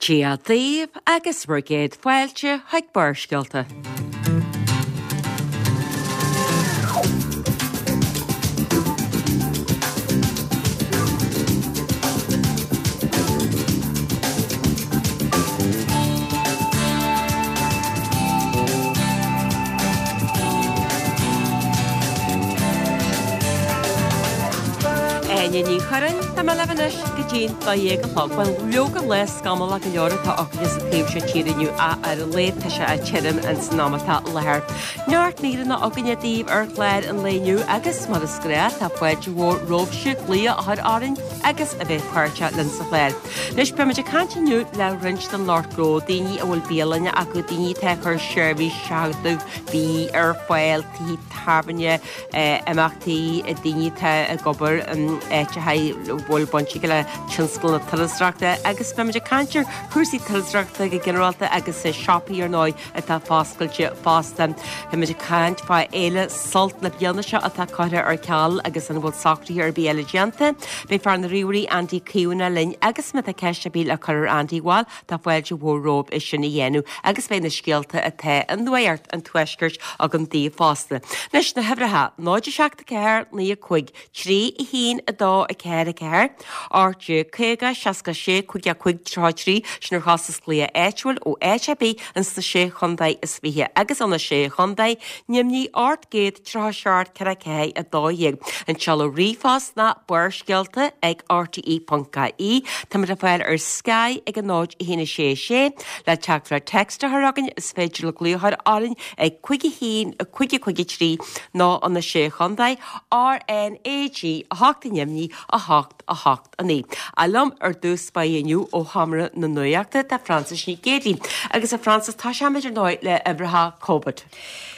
Dia daoibh agus bhur gcéad fáilte chuig Barrscéalta. Áine Ní Churráin, tá mé libh anois go dtí'n 12 a chlog. Bhuel, leoga lá scamallach go leor atá againne sa taobh seo tíre inniu ach ar a laghad tá sé tirim ins an am atá i láthair. Neart míreanna againne daoibh ar chlár an lae inniu agus, mar is gnách, tá fáilte mhór romhaibhse glaoch a chur orainn agus a bheith páirteach linn sa chlár. Anois, beimid ag caint inniu le roinnt den lucht gnó, daoine a bhfuil bialanna acu, daoine atá ag cur seirbhís seachadadh bídh ar fáil, tithe tábhairne, imeachtaí, daoine atá ag obair in áiteacha a bhfuil baint acu le tionscal na turasóireachta agus beimid ag caint ar chúrsaí turasóireachta go ginearálta agus siopaí ar ndóigh atá foscailte fosta. Beimid ag caint fá Fhéile Sult na bliana seo atá curtha ar ceal agus an bhfuil socruithe ar bith eile déanta. Beidh fear na ríomhairí Andy Caomhánach linn agus má tá ceist ar bith le cur ar Andy bhuel tá fáilte mhór romhaibh é sin a dhéanamh agus beidh na scéalta atá i nuacht an tuaiscirt agam daoibh fosta. Anois na huimhreacha, 0 7 4 9 5 3 1 2 4 4, 18 50 66 55 33, sin ar chostas glaoch áitiúil ó áit ar bith ins na Sé Chontae is Fiche agus ó na Sé Chontae, Nimhní 837 44 12. An seoladh ríomhphost ná barrscéalta ag rte.ie. Táimid le fáil ar Sky ag 0 1 6 6. Le teachtaireacht text a chur chugainn is féidir libh glaoch a chur orainn ag 5 1 5 5 3 nó ó na Sé Chontae, RNAG 8 Nimhní 8 8 9. Ach liom ar dtús báire inniu ó Sheomra na Nuachta tá Frances Nic Géadaigh. Agus a Frances, tosóimid ar ndóigh le uimhreacha Covid.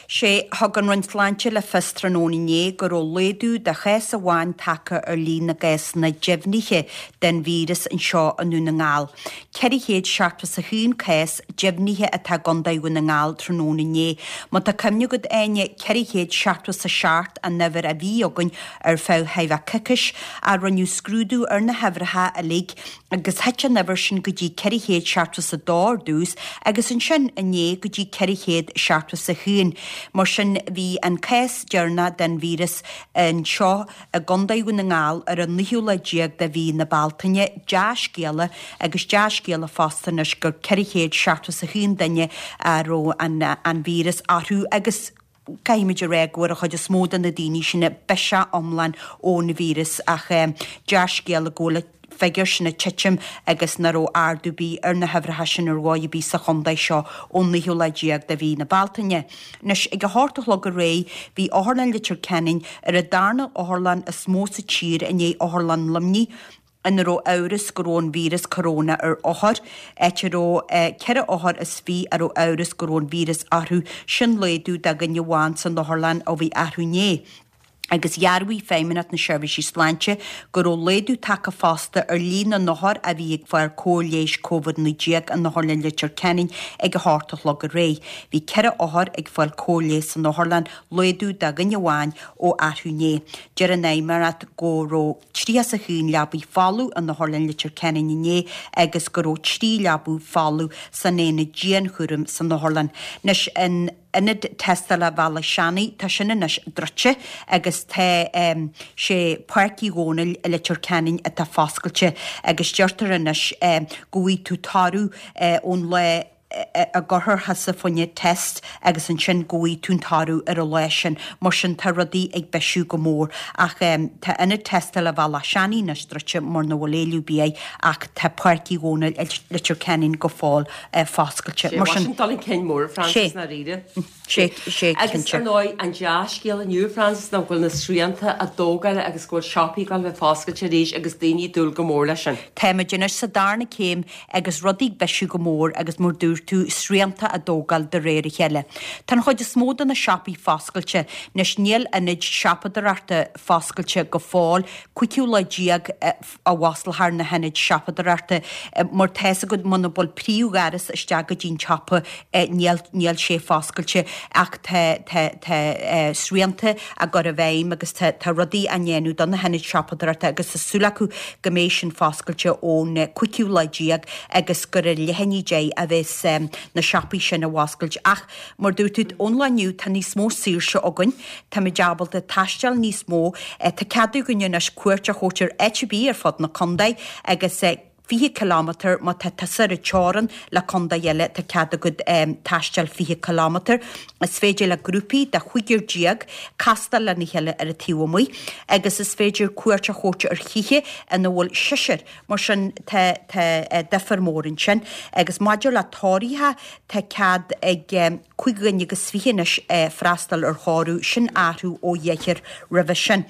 Sé, thug an Roinn Sláinte le fios tráthnóna inné go raibh laghdú de chás amháin tagtha ar líon na gcásanna deimhnithe den víreas anseo i nDún na nGall. 471 cás deimhnithe atá i gContae Dhún na nGall tráthnóna inné. Má tá cuimhne agat, Áine, 477 an uimhir a bhí againn ar feadh chóir a bheith coicís ach rinneadh scrúdú ar na huimhreacha uilig agus thit an uimhir sin go dtí 472 ar dtús agus ansin inné go dtí 471. Mar sin bhí an cás deireanach den víreas anseo i gContae Dhún na nGall ar an naoú lá déag de mhí na Bealtaine, dea-scéala agus dea-scéala fosta anois gur 471 duine a raibh an víreas orthu agus caithfimid a rá go bhfuair an chuid is mó de na daoine sin biseach iomlán ón víreas ach dea-scéala go bhfuil an figiúr sin ag titim agus nach raibh ardú ar bith ar na huimhreacha sin ar dhóigh ar bith sa chontae seo ón naoú lá déag de mhí na Bealtaine. Anois, ag a hocht a chlog aréir, bhí Otharlann Leitir Ceanainn ar an darna otharlann is mó sa tír i ndiaidh Otharlann Luimnigh ina raibh amhras go raibh an víreas coróna ar othair, áit a raibh 24 othar a raibh amhras go raibh an víreas orthu, sin laghdú de dhuine amháin san otharlann ó bhí arú inné. Agus dhearbhaigh Feidhmeannacht na Seirbhísí Sláinte go raibh laghdú tagtha fosta ar líon na n-othar a bhí ag fáil cóir leighis Covid-19 in Otharlann Leitir Ceanainn ag a hocht a chlog aréir. Bhí 4 othar ag fáil cóir leighis san otharlann, laghdú de dhuine amháin ó arú inné. Deir an Fheidhmeannacht go raibh 31 leabaidh folamh in Otharlann Leitir Ceanainn inné agus go raibh 3 leabaidh folamh san aonad dianchúraim san otharlann. Anois, in Ionad Tástála Bhealach Seanaidh, tá sin anois druidte agus tá sé Páirc Uí Dhónaill i Leitir Ceanainn atá foscailte agus deirtear anois go bhfaighidh tú toradh ón lá a gcuirfear thusa fá choinne test agus ansin go bhfaighidh tú an toradh ar an lá sin. Mar sin tá rudaí ag bisiú go mór ach tá Ionad Tástála Bhealach Seanaidh anois druidte mar nach bhfuil éileamh ar bith air ach tá Páirc Uí Dhónaill i Leitir Ceanainn go fóill foscailte. Mar sin dul chun cinn mór, Frances, i ndáiríre. Sé, sé, cinnte. Agus ar ndóigh, an dea-scéal inniu, Frances, ná go bhfuil na srianta á dtógáil agus go bhfuil siopaí ag dul a bheith foscailte arís agus daoine ag dúil go mór leis sin. Táimid anois sa darna céim agus rudaí ag bisiú go mór agus mar dúirt. dúirt tú, srianta á dtógáil de réir a chéile. Tá an chuid is mó de na siopaí foscailte anois, níl ionaid siopadóireachta foscailte go fóill, 15ú lá a bhfosclófar na hionaid siopadóireachta mar tá 'fhios agat muna bhfuil príomhdhoras isteach go dtí an tsiopa níl níl sé foscailte ach tá tá tá srianta á gcur i bhfeidhm agus tá tá rudaí á ndéanamh do na hionaid siopadóireachta agus tá súil acu go mbeidh sin foscailte ón 15ú lá agus gur ar leath i ndiaidh 10 a bheas na siopaí sin á bhfoscailt ach Mar dúirt tú, ón lá inniu tá níos mó saoirse againn, táimid ábalta taisteal níos mó, tá cead againn anois cuairt a thabhairt ar áit ar bith ar fud na contae agus 20 kilometre má tá tusa ar an teorainn le contae eile tá cead agat taisteal 20 kilometre. Is féidir le grúpaí de chúigear déag castáil lena chéile ar an taobh amuigh agus is féidir cuairt a thabhairt ar thithe ina bhfuil seisear Mar sin, tá, tá difear mór ansin. Agus maidir le tórraimh, tá cead ag 5 dhuine agus 20 anois freastal ar thórramh, sin athrú ó dheichniúr roimhe sin.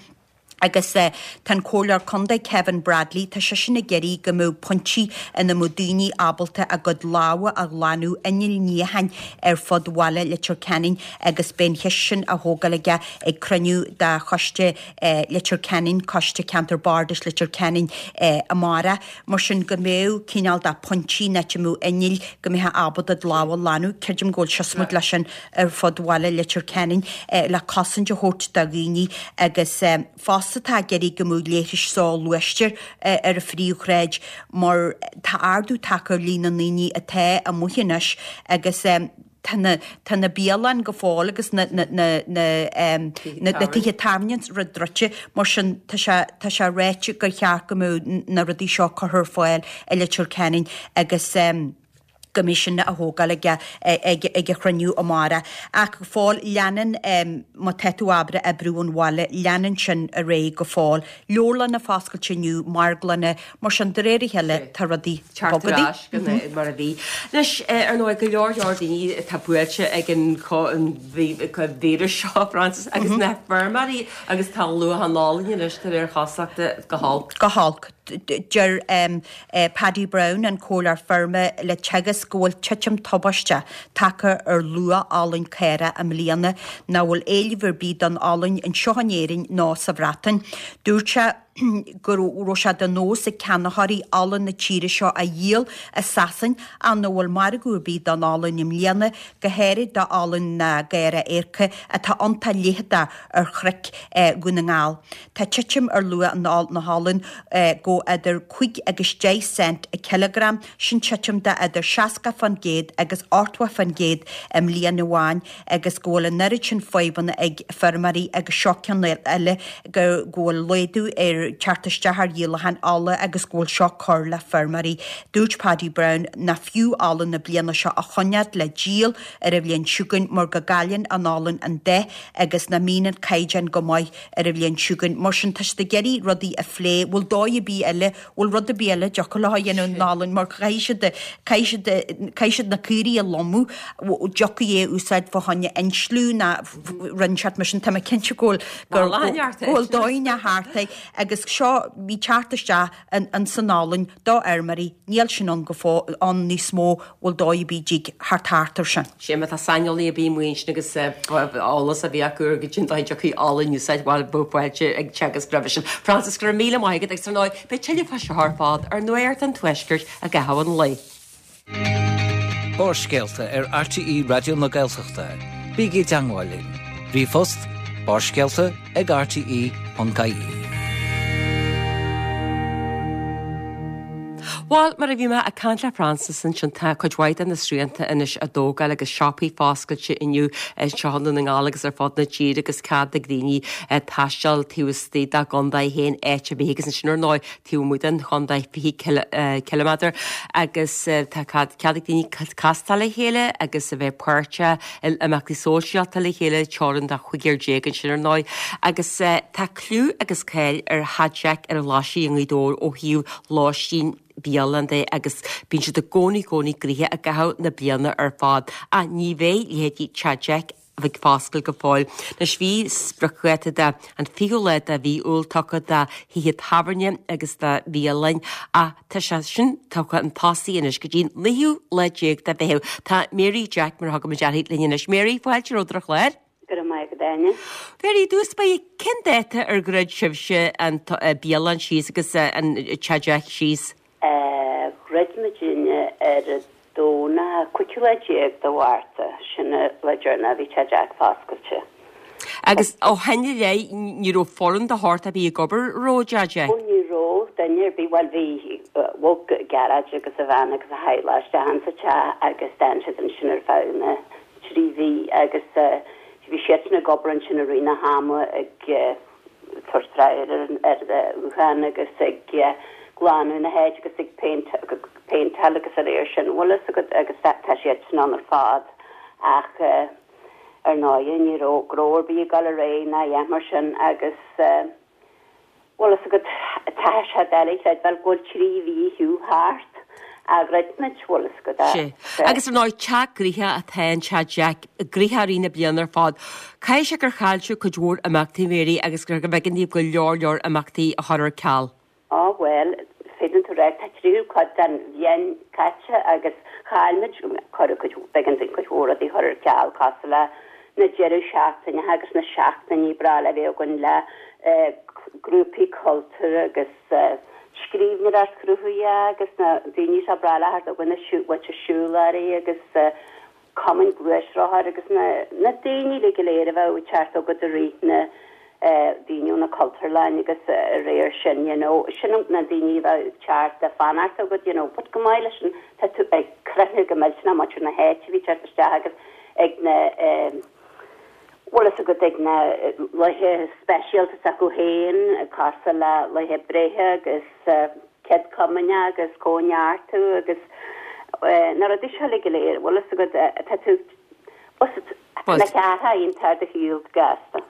Agus tá an Comhairleoir Contae Kevin Bradley, tá seisean ag iarraidh go mbeadh pointí ina mbeadh daoine ábalta a gcuid lámha a ghlanadh, innill níocháin ar fud bhaile Leitir Ceanainn agus beidh an cheist sin á thógáil aige ag cruinniú de choiste Leitir Ceanainn, Coiste Ceantar Bardais Leitir Ceanainn amárach. Mar sin, go mbeadh cineál de pointí in áit a mbeadh innill go mbeifeá ábalta do lámha a ghlanadh. Creidim go bhfuil siosmaid leis sin ar fud bhaile Leitir Ceanainn le cosaint a thabhairt do dhaoine agus fosta tá ag iarraidh go mbeadh leithris soghluaiste ar an phríomhshráid mar tá ardú tagtha ar líon na ndaoine atá amuigh anois agus Tá na, tá na bialanna go fóill agus na, na, na, na, na, na tithe tábhairne is rud druidte, mar sin tá sé, tá sé ráite gur cheart go mbeadh na rudaí seo curtha ar fáil i Leitir Ceanainn agus go mbeidh sin á thógáil aige ag, ag an chruinniú amárach. Ach go fóill leanann, má tá tú ábalta oibriú ón bhaile, leanann sin ar aghaidh go fóill. Leabharlanna foscailte inniu, marglanna, Mar sin, de réir a chéile, tá rudaí ag bogadh. Teacht ar ais go mar a bhí. Anois, ar ndóigh, go leor leor daoine atá buailte ag an víreas seo, Frances, agus na feirmeoirí agus tá luach an olainn anois de réir cosúlachta go holc. Go holc. Deir Paddy Browne, an comhairleoir feirme le Teagasc, go bhfuil titim tubaisteach tagtha ar luach olann caorach i mbliana, nach bhfuil éileamh ar bith don olann anseo in Éirinn ná sa Bhreatain. Dúirt sé. go raibh sé de nós ag ceannaitheoirí olann na tíre seo a dhíol i Sasain ach nach bhfuil margadh ar bith don olann i mbliana, go háirid d'olann na gcaorach éirce atá iontach leitheadach ar chnoic Dhún na nGall. Tá titim ar luach na holann go idir 5 agus 10 cent an cileagram, sin titim de idir 60% agus 80% i mbliain amháin. agus go bhfuil an oiread sin fadhbanna ag feirmeoirí agus seo ceann eile go bhfuil laghdú ar teacht isteach ar dhíolachán olla agus go bhfuil seo ag cur le feirmeoirí. Dúirt Paddy Browne nach fiú olann na bliana seo a choinneáil le díol ar an bhliain seo chugainn mar go gcailleann an olann an dath agus nach mbíonn an caighdeán go maith ar an bhliain seo chugainn. Mar sin tá siad ag iarraidh rudaí a phlé. Bhfuil dóigh ar bith eile bhfuil rud ar bith eile a dtiocfadh leo a dhéanamh an olann mar caithfidh siad caithfidh siad caithfidh siad na caoirigh a lomadh dtiocfaí é a úsáid fá choinne insliú ná rud inteacht mar sin tá mé cinnte go bhfuil go bhfuil dóigh thart é agus seo bhí teacht isteach an san olann do fheirmeoirí níl sin ann go fóill ann níos mó bhfuil dóigh ar bith a dtig theacht thart ar sin. Sé má tá saineolaí ar bith amuigh ansin agus eolas a bhí acu ar goidé an dóigh a dtiocfaí olann a úsáid, bhuel, bheadh fáilte ag Teagasc roimhe sin. Frances, go raibh míle maith agat agus ar ndóigh, beidh tuilleadh fá seo ar fad ar Nuacht an Tuaiscirt i gcaitheamh an lae. Barrscéalta ar RTÉ Raidió na Gaeltachta. Bígí i dteangmháil linn. Ríomhphost, barrscéalta ag rte.ie. Bhuel, mar a bhí mé ag caint le Frances ansin, tá cuid mhaith de na srianta anois á dtógáil agus siopaí foscailte inniu anseo i nDún na nGall agus ar fud na tíre agus cead ag daoine taisteal taobh istigh dá gcontae féin áit ar bith agus ansin ar ndóigh taobh amuigh den chontae 20 ciliméadar agus tá cead ag daoine castáil le chéile agus a bheith páirteach in imeachtaí sóisialta le chéile, teorainn de chúigear déag ansin ar ndóigh agus tá clú agus cáil ar Theach Jeaic ar an Ghlaisigh i nGaoth Dobhair ó thaobh lóistín, bialann de agus bíonn siad i gcónaí, cónaí gnoitheach i gcaitheamh na bliana ar fad. Ach ní bheidh leithéidí Teach Jeaic. Ag foscailt go fóill. Anois bhí spriocdháta de an 20ú lá de mhí Iúil tugtha do thithe tábhairne agus do bhialainn ach tá sé sin tugtha chun tosaigh anois go dtí an naoú lá déag de Mheitheamh. Tá Mary Jack, mar a thugaimid uirthi, linn anois. Mary, fáilte romhat ar an chlár. Go raibh maith agat, Áine. Mary, i dtús báire, cén dáta ar dhruid sibhse an bialann síos agus an Teach Jack síos? Dhruid muidinne ar an Domhnach, 15ú lá de Mhárta, sin an lá deireanach a bhí Teach Jack foscailte. Agus ó shin i leith, ní raibh foireann de shórt ar bith ag obair, raibh, i dTeach Jack? Ó ní raibh duine ar bith, bhuel bhí, bhog Gearóid agus a bhean agus a theaghlach isteach insa teach agus d'fhan siad ansin ar feadh na dtrí mhí agus bhí siadsan ag obair ansin i rith na hama ag tabhairt treoir ar an ghuthán agus ag glanadh na háite agus ag péinteáil agus a réir sin, bhfuil fhios agat, agus tá siadsan ann ar fad ach ar ndóighe ní raibh gnó ar bith ag dul ar aghaidh ná a dhath mar sin agus Bhfuil fhios agat, tá sé doiligh a chreidbheáil go bhfuil 3 mhí fiú thart ó dhruid muid, bhfuil fhios agat. Sea. Agus ar ndóigh, teach gnoitheach atá in Teach Jack, gnoitheach i rith na bliana ar fad. Caithfidh sé gur chaill sibh cuid mhór imeachtaí, Mary, agus gur b'éigean daoibh go leor leor imeachtaí a chur ar ceal. Á bhuel, féadann tú rá, tá tríú cuid den bhliain caite agus chaill muid, cuireadh cuid, b'éigean dúinn cuid mhór rudaí a chur ar ceal cosúil le na deireadh seachtaine agus na seachtainí breá le bheith againn le grúpaí cultúir agus scríbhneoireacht chruthaitheach agus na daoine seo breá le theacht chugainn, na muintir siúlóirí agus cumainn gluaisrothair agus na na daoine uilig go léir a bheadh ag teacht chugat i rith na daoine ó na cultúrlainn agus a réir sin you know sin na daoine a bheadh ag teacht le fanacht chugat you know but chomh maith leis sin tá tú ag croitheadh go millteanach muintir na háite a bhí ag teacht isteach agus ag na bhfuil fhios agat ag na laethe speisialta s'acu féin cosúil le laethe breithe agus Céad Comaoineach agus Cóineartú agus na rudaí seo uilig go léir, bhfuil fhios agat tá tú bhuel na ceartha iontach ar do shiúl gasta.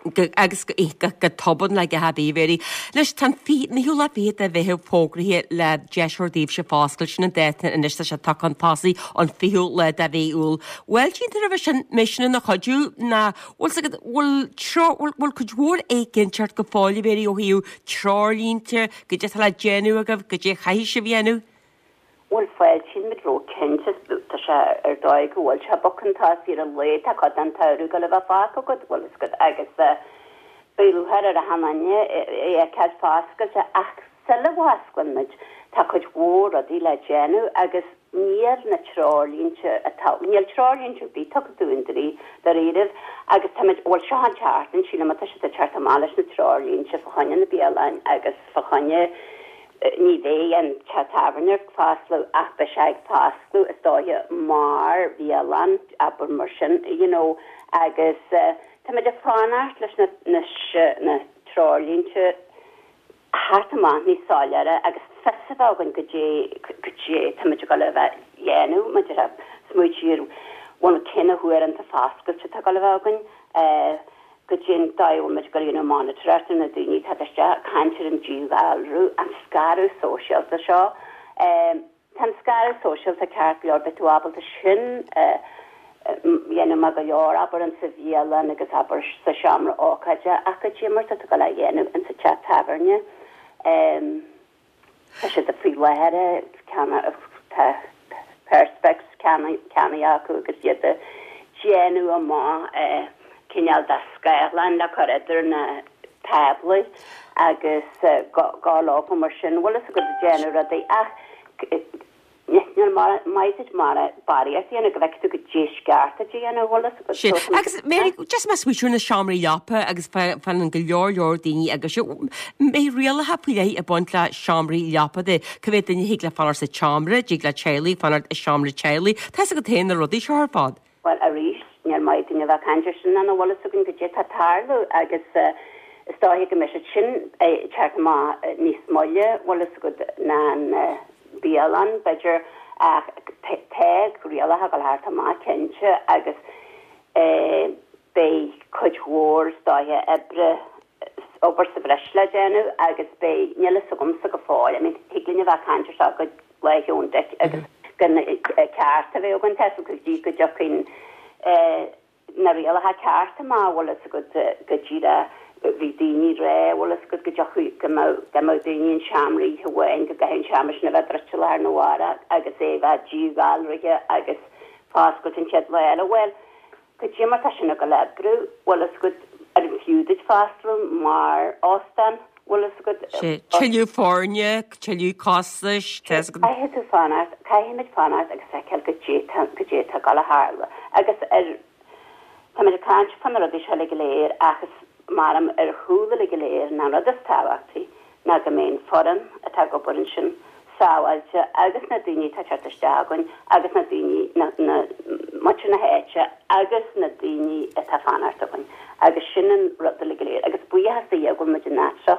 Agus go tobann le go haibí, Mary. Anois tá an naoú lá fichead de Mheitheamh fógraithe le deis a thabhairt daoibhse foscailt, sin an dáta anois tá sé tugtha chun tosaigh an 20ú lá de mhí Iúil. Bhfuil cinnte roimhe sin, mbeidh sin ina chuidiú ná bhfuil 's agat, bhfuil treo, bhfuil cuid mhór éiginnteacht go fóill, a Mhary, ó thaobh treoirlínte, goidé atá le déanamh agaibh, goidé a chaithfidh sibh a dhéanamh. Bhuel, fáiltíonn muid ró cinnte, tá sé ar dóigh go bhfuil sé bogtha chun tosaigh ar a laghad, tá cuid den tsamhradh ag dul a bheith fágtha agat, bhfuil fhios agat, agus beidh lúcháir ar achan duine é a fheiceáil foscailte ach sula bhfosclann muid tá cuid mhór rudaí le déanamh agus níl na treoirlínte atá, níl treoirlínte ar bith tugtha dúinn dáiríribh agus táimid, bhuel seo an tseachtain, sílim atá siad ag teacht amach leis na treoirlínte fá choinne na bialainn agus fá choinne, ní bheidh an teach tábhairne ag foscladh ach beidh sé ag foscladh is dóiche mar bhialann, abair mar sin, you know agus táimid ag fanacht leis na, na, na treoirlínte. theacht amach níos soiléire agus fios a bheith againn goidé goidé táimid ag dul a bheith dhéanamh maidir le smaoitiú ar bhuel cé na huaireanta foscailte atá ag dul a bheith againn, goidé an dóigh a bhfuil muid ag dul a dhéanamh monatóireacht ar na daoine atá isteach, caint ar an díghalrú, an scaradh sóisialta seo. Tá an scaradh sóisialta ceart go leor, beidh tú ábalta sin a dhéanamh maith go leor, abair insa bhialann agus abair sa seomra ócáide, ach goidé mar tá tú ag dul á dhéanamh insa teach tábhairne. Tá siad faoi láthair ag ceannach, tá perspex ceannaithe acu agus iad ag déanamh amach cineál de scáthlán le cur idir na táblaí agus go leofa mar sin, bhfuil fhios agat, ag déanamh rudaí ach níl maith duit mar barraíocht a dhéanamh go bhfeicfidh tú goidé is ceart duit a dhéanamh, bhfuil fhios agat. Sin. Agus Mary, just mé ag smaoitiú ar na seomraí leapa agus fanann go leor leor daoine agus mbeidh rialacha faoi leith ag baint le seomraí leapa de, cá mhéad duine a thig le fanacht sa tseomra, dtig le teaghlaigh fanacht i seomra teaghlaigh, tá fhios agat féin na rudaí seo ar fad. Bhuel, arís, níl maith dúinn a bheith ag caint air sin nach bhfuil fhios againn goidé atá ag tarlú agus is dóiche go mbeidh siad sin ag teacht amach níos moille, bhfuil fhios agat, ná an bialann, b'fhéidir, ach tá rialacha ag dul a theacht amach cinnte agus beidh cuid mhór, is dóiche, oibre, obair sa bhreis le déanamh agus beidh, níl fhios agamsa go fóill, I mean, thig linn a bheith ag caint ar seo go Lá Sheoin Dic agus gan ceart a bheith againn tá go dtí go dtiocfaidh an. Na rialacha cearta amach, bhfuil fhios agat, go díreach, bhí daoine ag rá, bhfuil fhios agat, go dtiocfadh, go mbeadh, dá mbeadh daoine in seomra oíche amháin, go gcaithfeadh an seomra sin a bheith druidte lá arna mhárach agus é a bheith díghalraithe agus foscailt an chéad lá eile. Bhuel, cad é mar tá sin ag dul a oibriú, bhfuil fhios agat, ar an fiú duit freastal mar óstán, bhfuil fhios agat. Sé, tuilleadh foirne, tuilleadh costais, tá fhios agat. Caithfidh tú fanacht, caithfimid fanacht agus feiceáil goidé tá, goidé tá ag dul a tharlú. Agus ar, táimid ag caint fá na rudaí seo uilig go léir ach is maram ar chúl uilig go léir ná an rud is tábhachtaí ná go mbeidh an foireann atá ag obair ansin sábháilte agus na daoine atá ag teacht isteach againn agus na daoine, na, na, muintir na háite agus na daoine atá ag fanacht againn agus sin an rud uilig go léir agus buíochas do Dhia go bhfuil muid in áit seo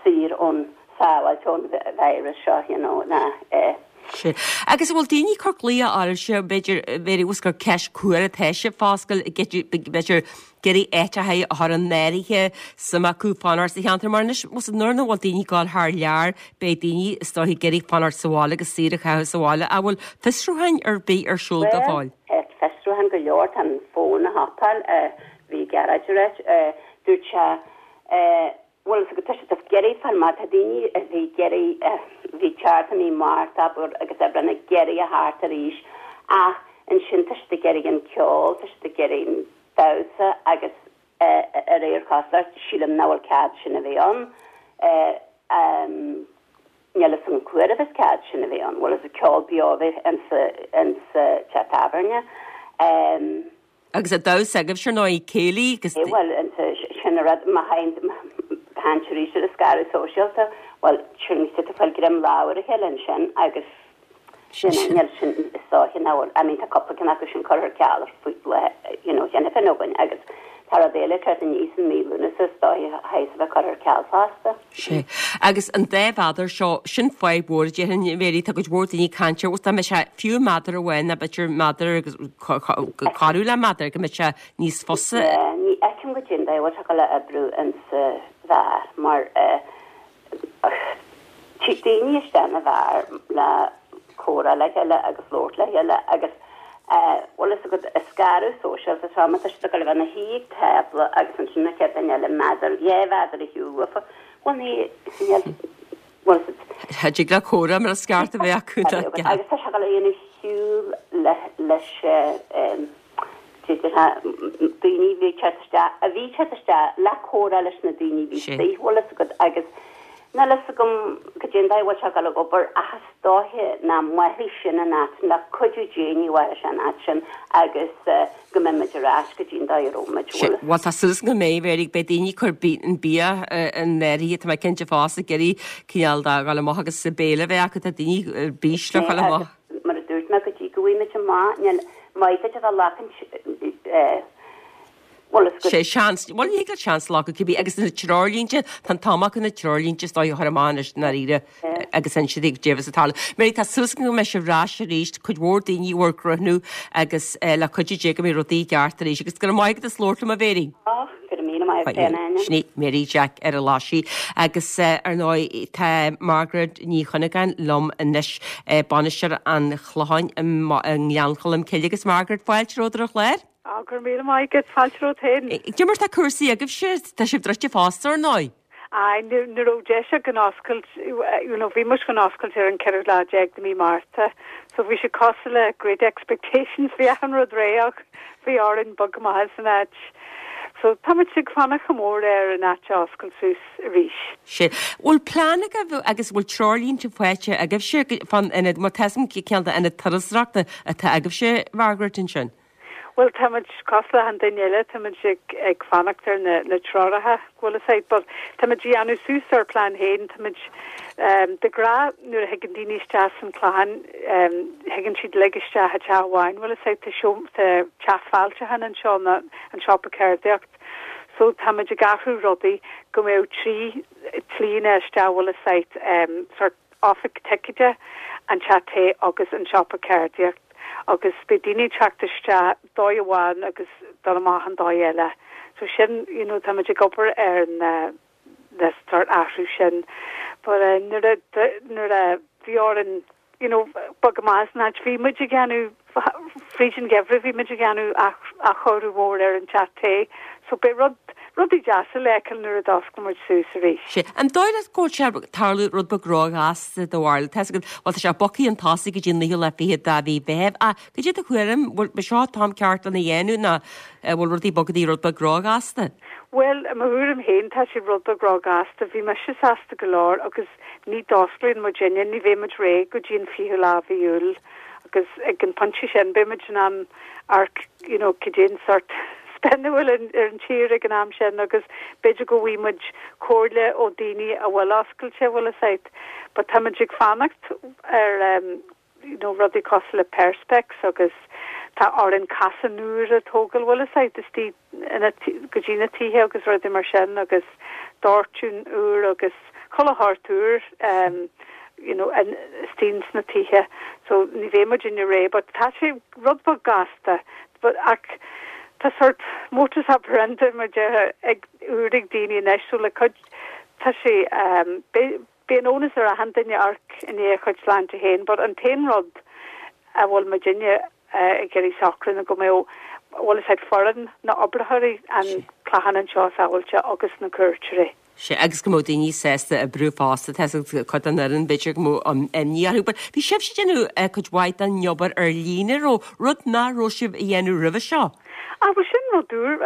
saor ón, sábháilte ón virus seo you know ná eh. Sin. Agus an bhfuil daoine ag cur glaoch oraibhse, b'fhéidir, b'fhéidir ós gur ceist cá huair atá sibh ag foscailt, b'fhéidir, ag iarraidh áiteacha a chur in áirithe, suim acu fanacht sa cheantar mar anois, más nuair nach bhfuil daoine ag dul thar lear, beidh daoine is dóiche ag iarraidh fanacht sa bhaile agus saoire a chaitheamh sa bhaile. An bhfuil fiosrúcháin ar bith ar siúl go fóill? Bhuel, tá fiosrúcháin go leor, tá an fón ag hopáil, bhí Gearóid ag ráit, dúirt sé, bhfuil fhios agat, tá siad ag iarraidh fáil amach, tá daoine a bhí ag iarraidh, a bhí teacht i mí Márta, abair, agus Aibreán ag iarraidh a theacht arís ach ansin tá siad ag iarraidh an ceol, tá siad ag iarraidh an damhsa agus de réir cosúlachta, sílim nach bhfuil cead sin a bheith ann. Níl fhios agam cá huair a bheas cead sin a bheith ann, bhfuil fhios agat, ceol beo a bheith insa, insa teach tábhairne. Agus an damhsa agaibhse ar ndóigh, céilí agus. Bhuel, sin an rud, má théann tú arís ar an scaradh sóisialta, bhuel, sin tú ag fáil greim lámh ar a chéile ansin agus sin, níl sin, is dóiche nach bhfuil, I mean tá cúpla ceann acu sin curtha ar ceal faoi, you know, cheana féin againn agus tá rud eile ag teacht aníos i mí Lúnasa is dóiche a chaithfeas a bheith curtha ar ceal fosta. Sea. Agus an dá mheadar seo, sin fadhb mhór a déarfainn, a Mhéirí, tá cuid mhór daoine ag caint air, dá mbeadh sé fiú méadar amháin nó b'fhéidir méadar agus corradh le méadar, go mbeadh sé níos fusa. Ní fheicim goidé an dóigh a bhfuil sé ag dul a oibriú insa bheár mar tig daoine isteach ina bheár le comhrá le chéile agus labhairt le chéile agus bhfuil fhios agat, an scaradh sóisialta seo, má tá siad ag dul a bheith ina shuí ag tábla agus ansin an chéad duine eile méadar, dhá mhéadar ar shiúl uafa, bhuel ní, níl, bhfuil fhios agat. Cha dtig le comhrá mar is ceart a bheith acu. Agus tá sé ag dul a dhéanamh siúl leis daoine a bhí ag teacht isteach, a bhí ag teacht isteach le comhrá leis na daoine a bhí istigh, bhfuil fhios agat, agus níl fhios agam goidé an dóigh a bhfuil sé ag dul ag obair ach is dóiche nach mairfidh sin an áit sin, le cuidiú Dé ní mhairfidh sé an áit sin agus go mbeidh muid ar ais go dtí an dóigh a raibh muid, bhfuil fhios. Bhuel tá súil agam go mbeidh, Mary, beidh daoine ag cur an bia in áirithe, tá mé cinnte fosta, ag iarraidh cineál de dhul amach agus béile a bheith acu, tá daoine ar bís le dhul amach. Mar a dúirt mé, go dtí go bhfaighimid amach, níl maith duit a bheith ag glacaint, bhuel, is go. Sé seans, bhuel, ní thig leat seans a ghlacadh cibé, agus na treoirlínte, tá an t-am acu na treoirlínte is dóigh a chur amach anois i ndáiríre agus inse daoibh goidé a bheas ag tarlú. Mary, tá súil agam go mbeidh sibh ar ais arís, cuid mhór daoine bhur gcruthú agus le cuidiú Dé go mbeidh rudaí i gceart arís. Agus go raibh maith agat as labhairt liom, a Mhary. Á, go raibh míle maith agat féin, Áine. Sin í Mary Jack ar an Laisigh. Agus ar ndóigh tá Margaret Ní Chuinneagáin liom anois, bainisteoir an Chlocháin i nGleann Cholm Cille. Agus Margaret, fáilte romhat ar an chlár. Á, go raibh míle maith agat, fáilte romhat féin. Cad é mar tá cúrsaí agaibhse, tá sibh druidte fosta ar ndóigh. Aye, ní raibh deis againn oscailt, you know, bhí muid chun oscailt ar an ceathrú lá déag de mí Márta, so bhí sé cosúil le Great Expectations, bhí achan rud réidh ach bhí orainn bogadh amach as an áit. So tá muid ag fanacht go mór ar an áit a oscailt suas arís. Sea. Bhfuil plean agaibh agus bhfuil treoirlínte faighte agaibhse fán ionad, mar tá 'fhios a'm cineál de ionad turasóireachta atá agaibhse, Margaret, ansin? Bhuel, tá muid cosúil le achan duine eile, tá muid ag ag fanacht ar na na treoracha, go bhfuil fhios a'd, but tá muid ag déanamh suas ár plean féin, tá muid ehm de ghnáth nuair a thigeann daoine isteach san Clochán ehm thigeann siad uilig isteach i teach amháin, bhfuil fhios a'd, tá seom tá teach fáilteacháin anseo ná an siopa ceardaíocht, so tá muid ag athrú rudaí go mbeadh trí tslíonna isteach, bhfuil fhios a'd, ehm sort oifig ticéide, an teach tae agus an siopa ceardaíocht agus beidh daoine ag teacht isteach dóigh amháin agus dul amach an dóigh eile. So sin, you know, táimid ag obair ar na na sort athrú sin. But eh nuair a nuair a bhí orainn. you know, bogadh amach as an áit. Bhí muid ag déanamh, fríd an gheimhreadh bhí muid ag déanamh athchóiriú mhór ar an teach tae so beidh rud, rudaí deasa le feiceáil nuair a d'oscail muid suas arís. Sea. An dóigh leat go bhfuil sé ag tarlú rud beag róghasta do bharúil? Tá 'fhios agat, bhuel tá sé bogtha chun tosaigh go dtí an naoú lá fichead de mhí Mheithimh ach cad é do thuairim, bhfuil b'é seo an t-am ceart lena dhéanamh nó bhfuil rudaí bogtha rud beag róghasta? Bhuel, i mo thuairim féin tá sé rud beag róghasta. Bhí mise sásta go leor agus ní d'osclaíonn muidinne, ní bheidh muid réidh go dtí an fichiú lá mhí Iúil agus ag an pointe sin beidh muid in ann amharc you know cad é an sort spin a bhfuil ar an tír ag an am sin agus b'fhéidir go bhfaighidh muid comhairle ó daoine a bhfuil oscailte, bhfuil fhios a'd. But tá muid ag fanacht ar em you know rudaí cosúil le perspex agus tá orainn casáin úr a tógáil, bhfuil fhios a'd, istigh ina go dtí na tithe agus rudaí mar sin agus dóiteán úr agus chuile shórt úr um you know istigh ins na tithe so ní bheidh muidinne réidh but tá sé rud beag gasta but ach tá sort modus operandi mar déarfá ag úr ag daoine anois so le cuid tá sé um beidh Bíonn iontas ar achan duine amharc i ndiaidh a chuid sláinte féin but an t-aon rud a bhfuil muidinne ag iarraidh socrú ná go mbeadh, bhfuil fhios a'd, foireann na oibritheoirí an Clochán anseo sábháilte agus na cuairteoirí. Sea, agus go mbeadh daoine sásta oibriú fosta, tá 'fhios agat cuid den fhoireann b'fhéidir go mbeadh imní orthu but bhí sibhse ag déanamh cuid mhaith den obair ar líne, raibh, rud nach raibh sibh a dhéanamh roimhe seo. Ah bhuel sin rud úr,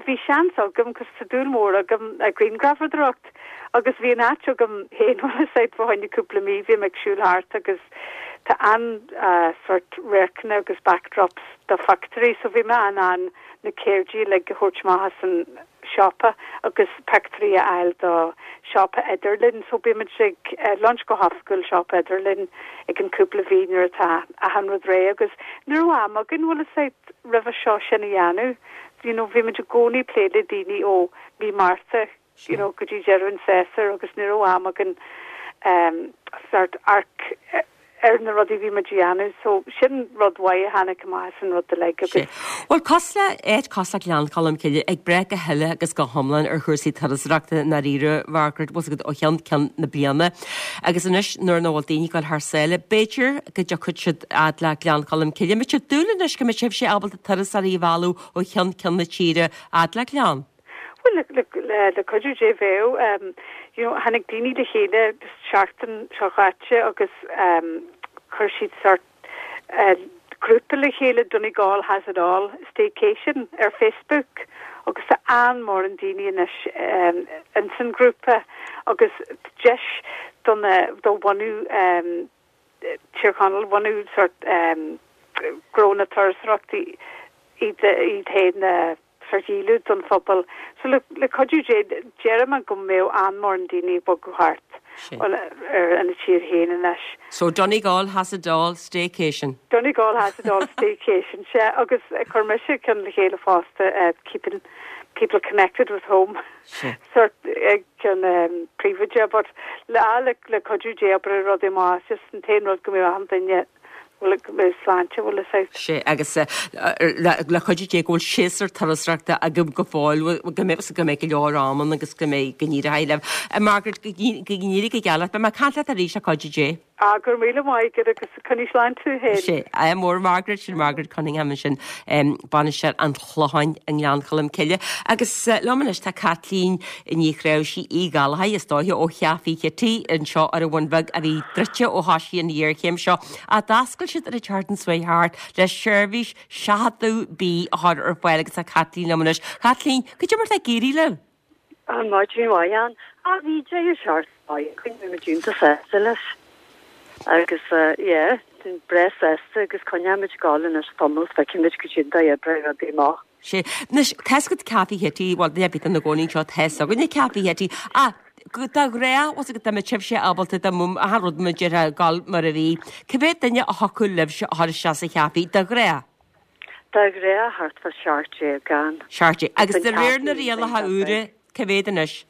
bhí seans agam 'cause tá dúil mhór agam i grianghrafadóireacht Agus bhí an áit agam féin bhfuil fhios a'd fá choinne cúpla mí, bhí mé ag siúl thart agus tá an-sort radharcanna agus backdrops do phictiúirí so bhí mé in ann na céirdí uilig a thabhairt amach as an siopa agus pictiúirí a fháil do siopa idirlín so bímid ag launch go hoifigiúil siopa idirlín ag an cúpla mhí nuair atá achan rud réidh agus ní raibh am againn bhfuil fhios a'd roimhe seo sin a dhéanamh you know bhí muid i gcónaí ag plé le daoine ó mí Márta you know, go dtí deireadh an tséasúir agus ní raibh am againn um, sort amharc ar na rudaí a bhí muid a dhéanamh. So sin rud mhaith a tháinig amach as an rud uilig agus. Bhuel, cosúil le, áit cosúil le Gleann Cholm Cille ag brath go huile agus go hiomlán ar chúrsaí turasóireachta i ndáiríre, Mhargaret, bhfuil 's agat ó cheann ceann na bliana. Agus anois nuair nach bhfuil daoine ag dul thar sáile, b'fhéidir go dtiocfaidh siad fhad le Gleann Cholm Cille. An mbeidh sibh ag dúil anois go mbeidh sibhse ábalta turasóirí a mhealladh ó cheann ceann na tíre fhad le Gleann? Bhuel, le cuidiú Dé bheadh. You know, tháinig daoine le chéile seachtain seo chaite agus chuir siad sort grúpa le chéile, Donegal has it all staycation ar Facebook agus tá an-mhórán daoine anois ins an grúpa agus deis do na, do bhunadh Tír Chonaill, bhunadh sort gnó na turasóireachta iad féin a sort dhíolú don phobal. So le le cuidiú Dé déarfaidh mé go mbeadh an-mhórán daoine ag bogadh thart bhuel ar ina tír féin anois. So Donegal has it all staycation. Donegal has it all staycation, sea agus chuir mise ceann le chéile fosta keeping people connected with home. Sea. Sort ceann príobháideach but le le le cuidiú Dé oibreoidh rudaí amach just an t-aon rud go mbeadh achan duine bhfuil go mbeidh sláinte bhfuil fhios a'd. Sea, agus le cuidiú Dé go bhfuil séasúr turasóireachta agaibh go fóill, go mbeidh go mbeidh go leor am ann agus go mbeidh go n-éireoidh libh. Margaret, go n-éirí go geal leat. Beidh mé ag caint leat arís le cuidiú Dé. Ah, go raibh míle maith agat agus coinnigh slán tú féin. Sea, ádh mór Margaret, sin Margaret Cunningham ansin, bainisteoir an Chlocháin i nGleann Cholm Cille. Agus liom anois tá Caitlín Ní Chnáimhsí Uí Ghallchóir, is dóiche, ó Chaifé Chití anseo ar an Bhun Bheag a bhí druidte ó thoisigh an ghéarchéim seo ach d'oscail siad ar an tseachtain seo chuaigh thart le seirbhís seachadadh bídh a chur ar fáil agus tá Caitlín liom anois. Caitlín, cad é mar atá ag éirí libh? Maidin mhaith, Ann. Ah, bhí deireadh seachtaine maith againn, bhí muid iontach sásta leis. Agus yeah, breá sásta agus coinneoimid ag gabháil anois tamall, feicfimid cad é an dóigh a oibreoidh rudaí amach. Sea. Anois, tá's agat Café Chití, bhuel, duine ar bith atá ina gcónaí anseo, tá's againne Café Chití. Ach, de ghnáth, bhfuil 's agat dá mbeadh sibhse ábalta dá mbeadh achan rud mar a déarfá ag gabháil mar a bhí, cá mhéad duine a thiocfadh libhse a chur isteach sa chafé, de ghnáth? De ghnáth thart fá 17 ann. 17. Agus de réir na rialacha úra, cá mhéad anois?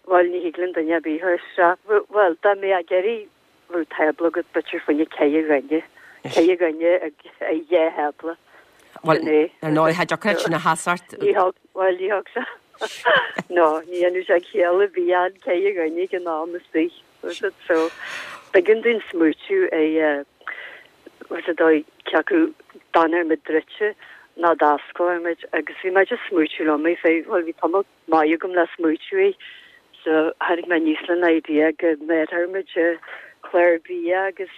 Bhuel, ní thig linn duine ar bith a chur isteach. Bhuel, dá mbeadh ag iarraidh bheadh tábla agat b'fhéidir fá choinne ceithre dhuine. Ceithre dhuine ag dhá thábla. Bhuel, ar ndóigh, cha dtiocfadh leat sin a sheasacht. Ní thug, bhuel, ní thug sé. No, ní dhéanadh sé ciall a bhí ann ceithre dhuine ag an am istigh. Was it? So, b'éigean dúinn smaoitiú ar. Bhfuil 's a'd cé acu d'fhanfadh muid druidte nó d'osclódh muid agus bhí mé just smaoitiú liom é fé, bhuel bhí tamall maith agam le smaoitiú air so tháinig mé aníos le an idea go mbéarfadh muid clár bia agus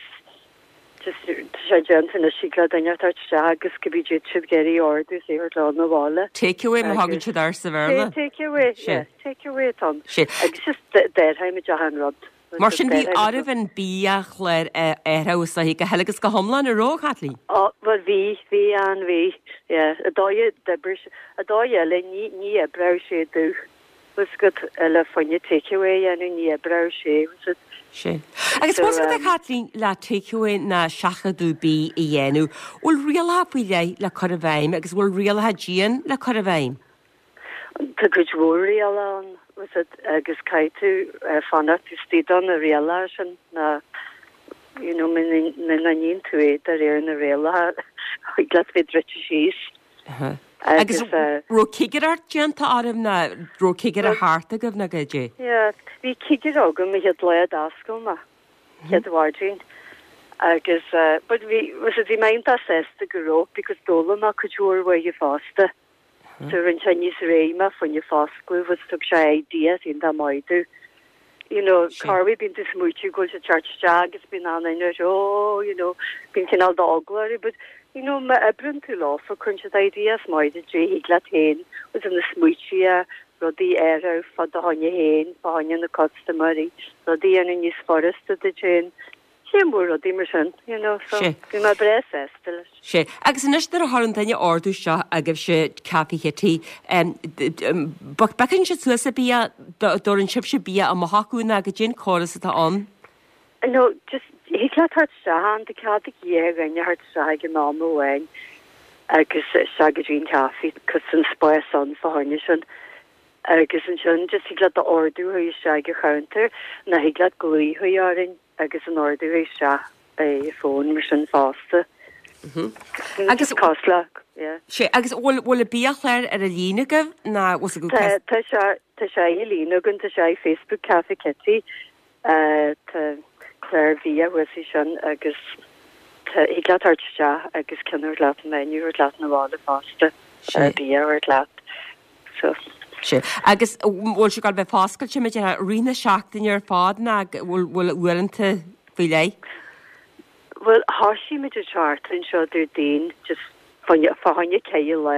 just tá sé déanta anois thig le duine a thabhairt isteach agus cibé cad tá siad ag iarraidh a ordú is é a thabhairt leo 'na bhaile. Take away má thagann siad air sa Bhéarla. Take away, yeah, take away atá ann. Agus just déarfaidh muid achan rud. Mar sin bhí oraibh an biachlár a athrú is dóiche go huile agus go hiomlán, an raibh, a Chaitlín? Ó, bhuel bhí, bhí an, bhí, yeah. An dóigh a d'oibrigh sé, an dóigh eile, ní, ní oibreodh sé domh, bhfuil 's agat, le fá choinne takeaway a dhéanamh, ní oibreodh sé, bhfuil 's agat. Sea. Agus bhfuil 's agat, a Chaitlín, le takeaway ná seachadadh bídh a dhéanamh, bhfuil rialacha faoi leith le cur i bhfeidhm agus bhfuil rialacha dian le cur i bhfeidhm? Tá cuid mhór rialacha ann, bhfuil 's agat, agus caithfidh tú fanacht istigh do na rialacha sin ná you know muna níonn tú é de réir na rialacha thig leat bheith druidte síos. Agus raibh cigireacht déanta oraibh ná raibh cigire thart agaibh ná goidé? Yeah, bhí cigire agam an chéad lá a d'oscail mé, chéad mhaidin agus but bhí, bhfuil 's agat, bhí mé iontach sásta go raibh because d'fhoghlaim mé cuid mhór uaidh fosta. So rinne sé níos réidh mé fá choinne foscladh agus thug sé ideas iontach maith domh. You know, corruair bíonn tú smaoitiú go bhfuil siad teacht isteach agus bíonn an duine ar oh, you know, bíonn cineál d'eagla orthu but you know, má oibreann tú leofa cuireann siad ideas maith duit dé thig leat féin agus na smaoití a rudaí a athrú fá do choinne féin, fá choinne na custaiméirí, rudaí a dhéanamh níos furasta duit féin. Sé mór rudaí mar sin, you know, so Sé. bhí mé breá sásta leis. Sé. Agus anois nuair a chuireann duine ordú isteach agaibhse Café Chití, biocann siad suas an bia, dtabharann sibhse bia amach chucu nó goidé an córas atá ann? No, just thig leat theacht isteach ann, tá cead ag dhá dhuine theacht isteach ag an am amháin agus isteach go dtí an caife, cos tá an spás ann fá choinne sin. Agus ansin just thig leat d'ordú a chur isteach ag an chounter nó thig leat glaoch a chur orainn agus an ordú a chur isteach ar an phone mar sin fosta. Agus cosúil le, yeah. Sé, agus bhfuil bhfuil an biachlár ar an líne agaibh ná bhfuil Tá tá sé tá sé ar líne againn, tá sé ar Facebook Café Kitty. Tá clár bia thuas é sin agus tá thig leat theacht isteach agus ceann a thabhairt leat, menu a thabhairt leat 'na bhaile fosta, bia a thabhairt leat. So. Sea. Agus bhfuil sé ag gabháil a bheith foscailte muid i rith na seachtaine ar fad ná bhfuil bhfuil uaireanta faoi leith? Bhuel, thoisigh muid an tseachtain seo Déardaoin just fá fá choinne ceithre lá.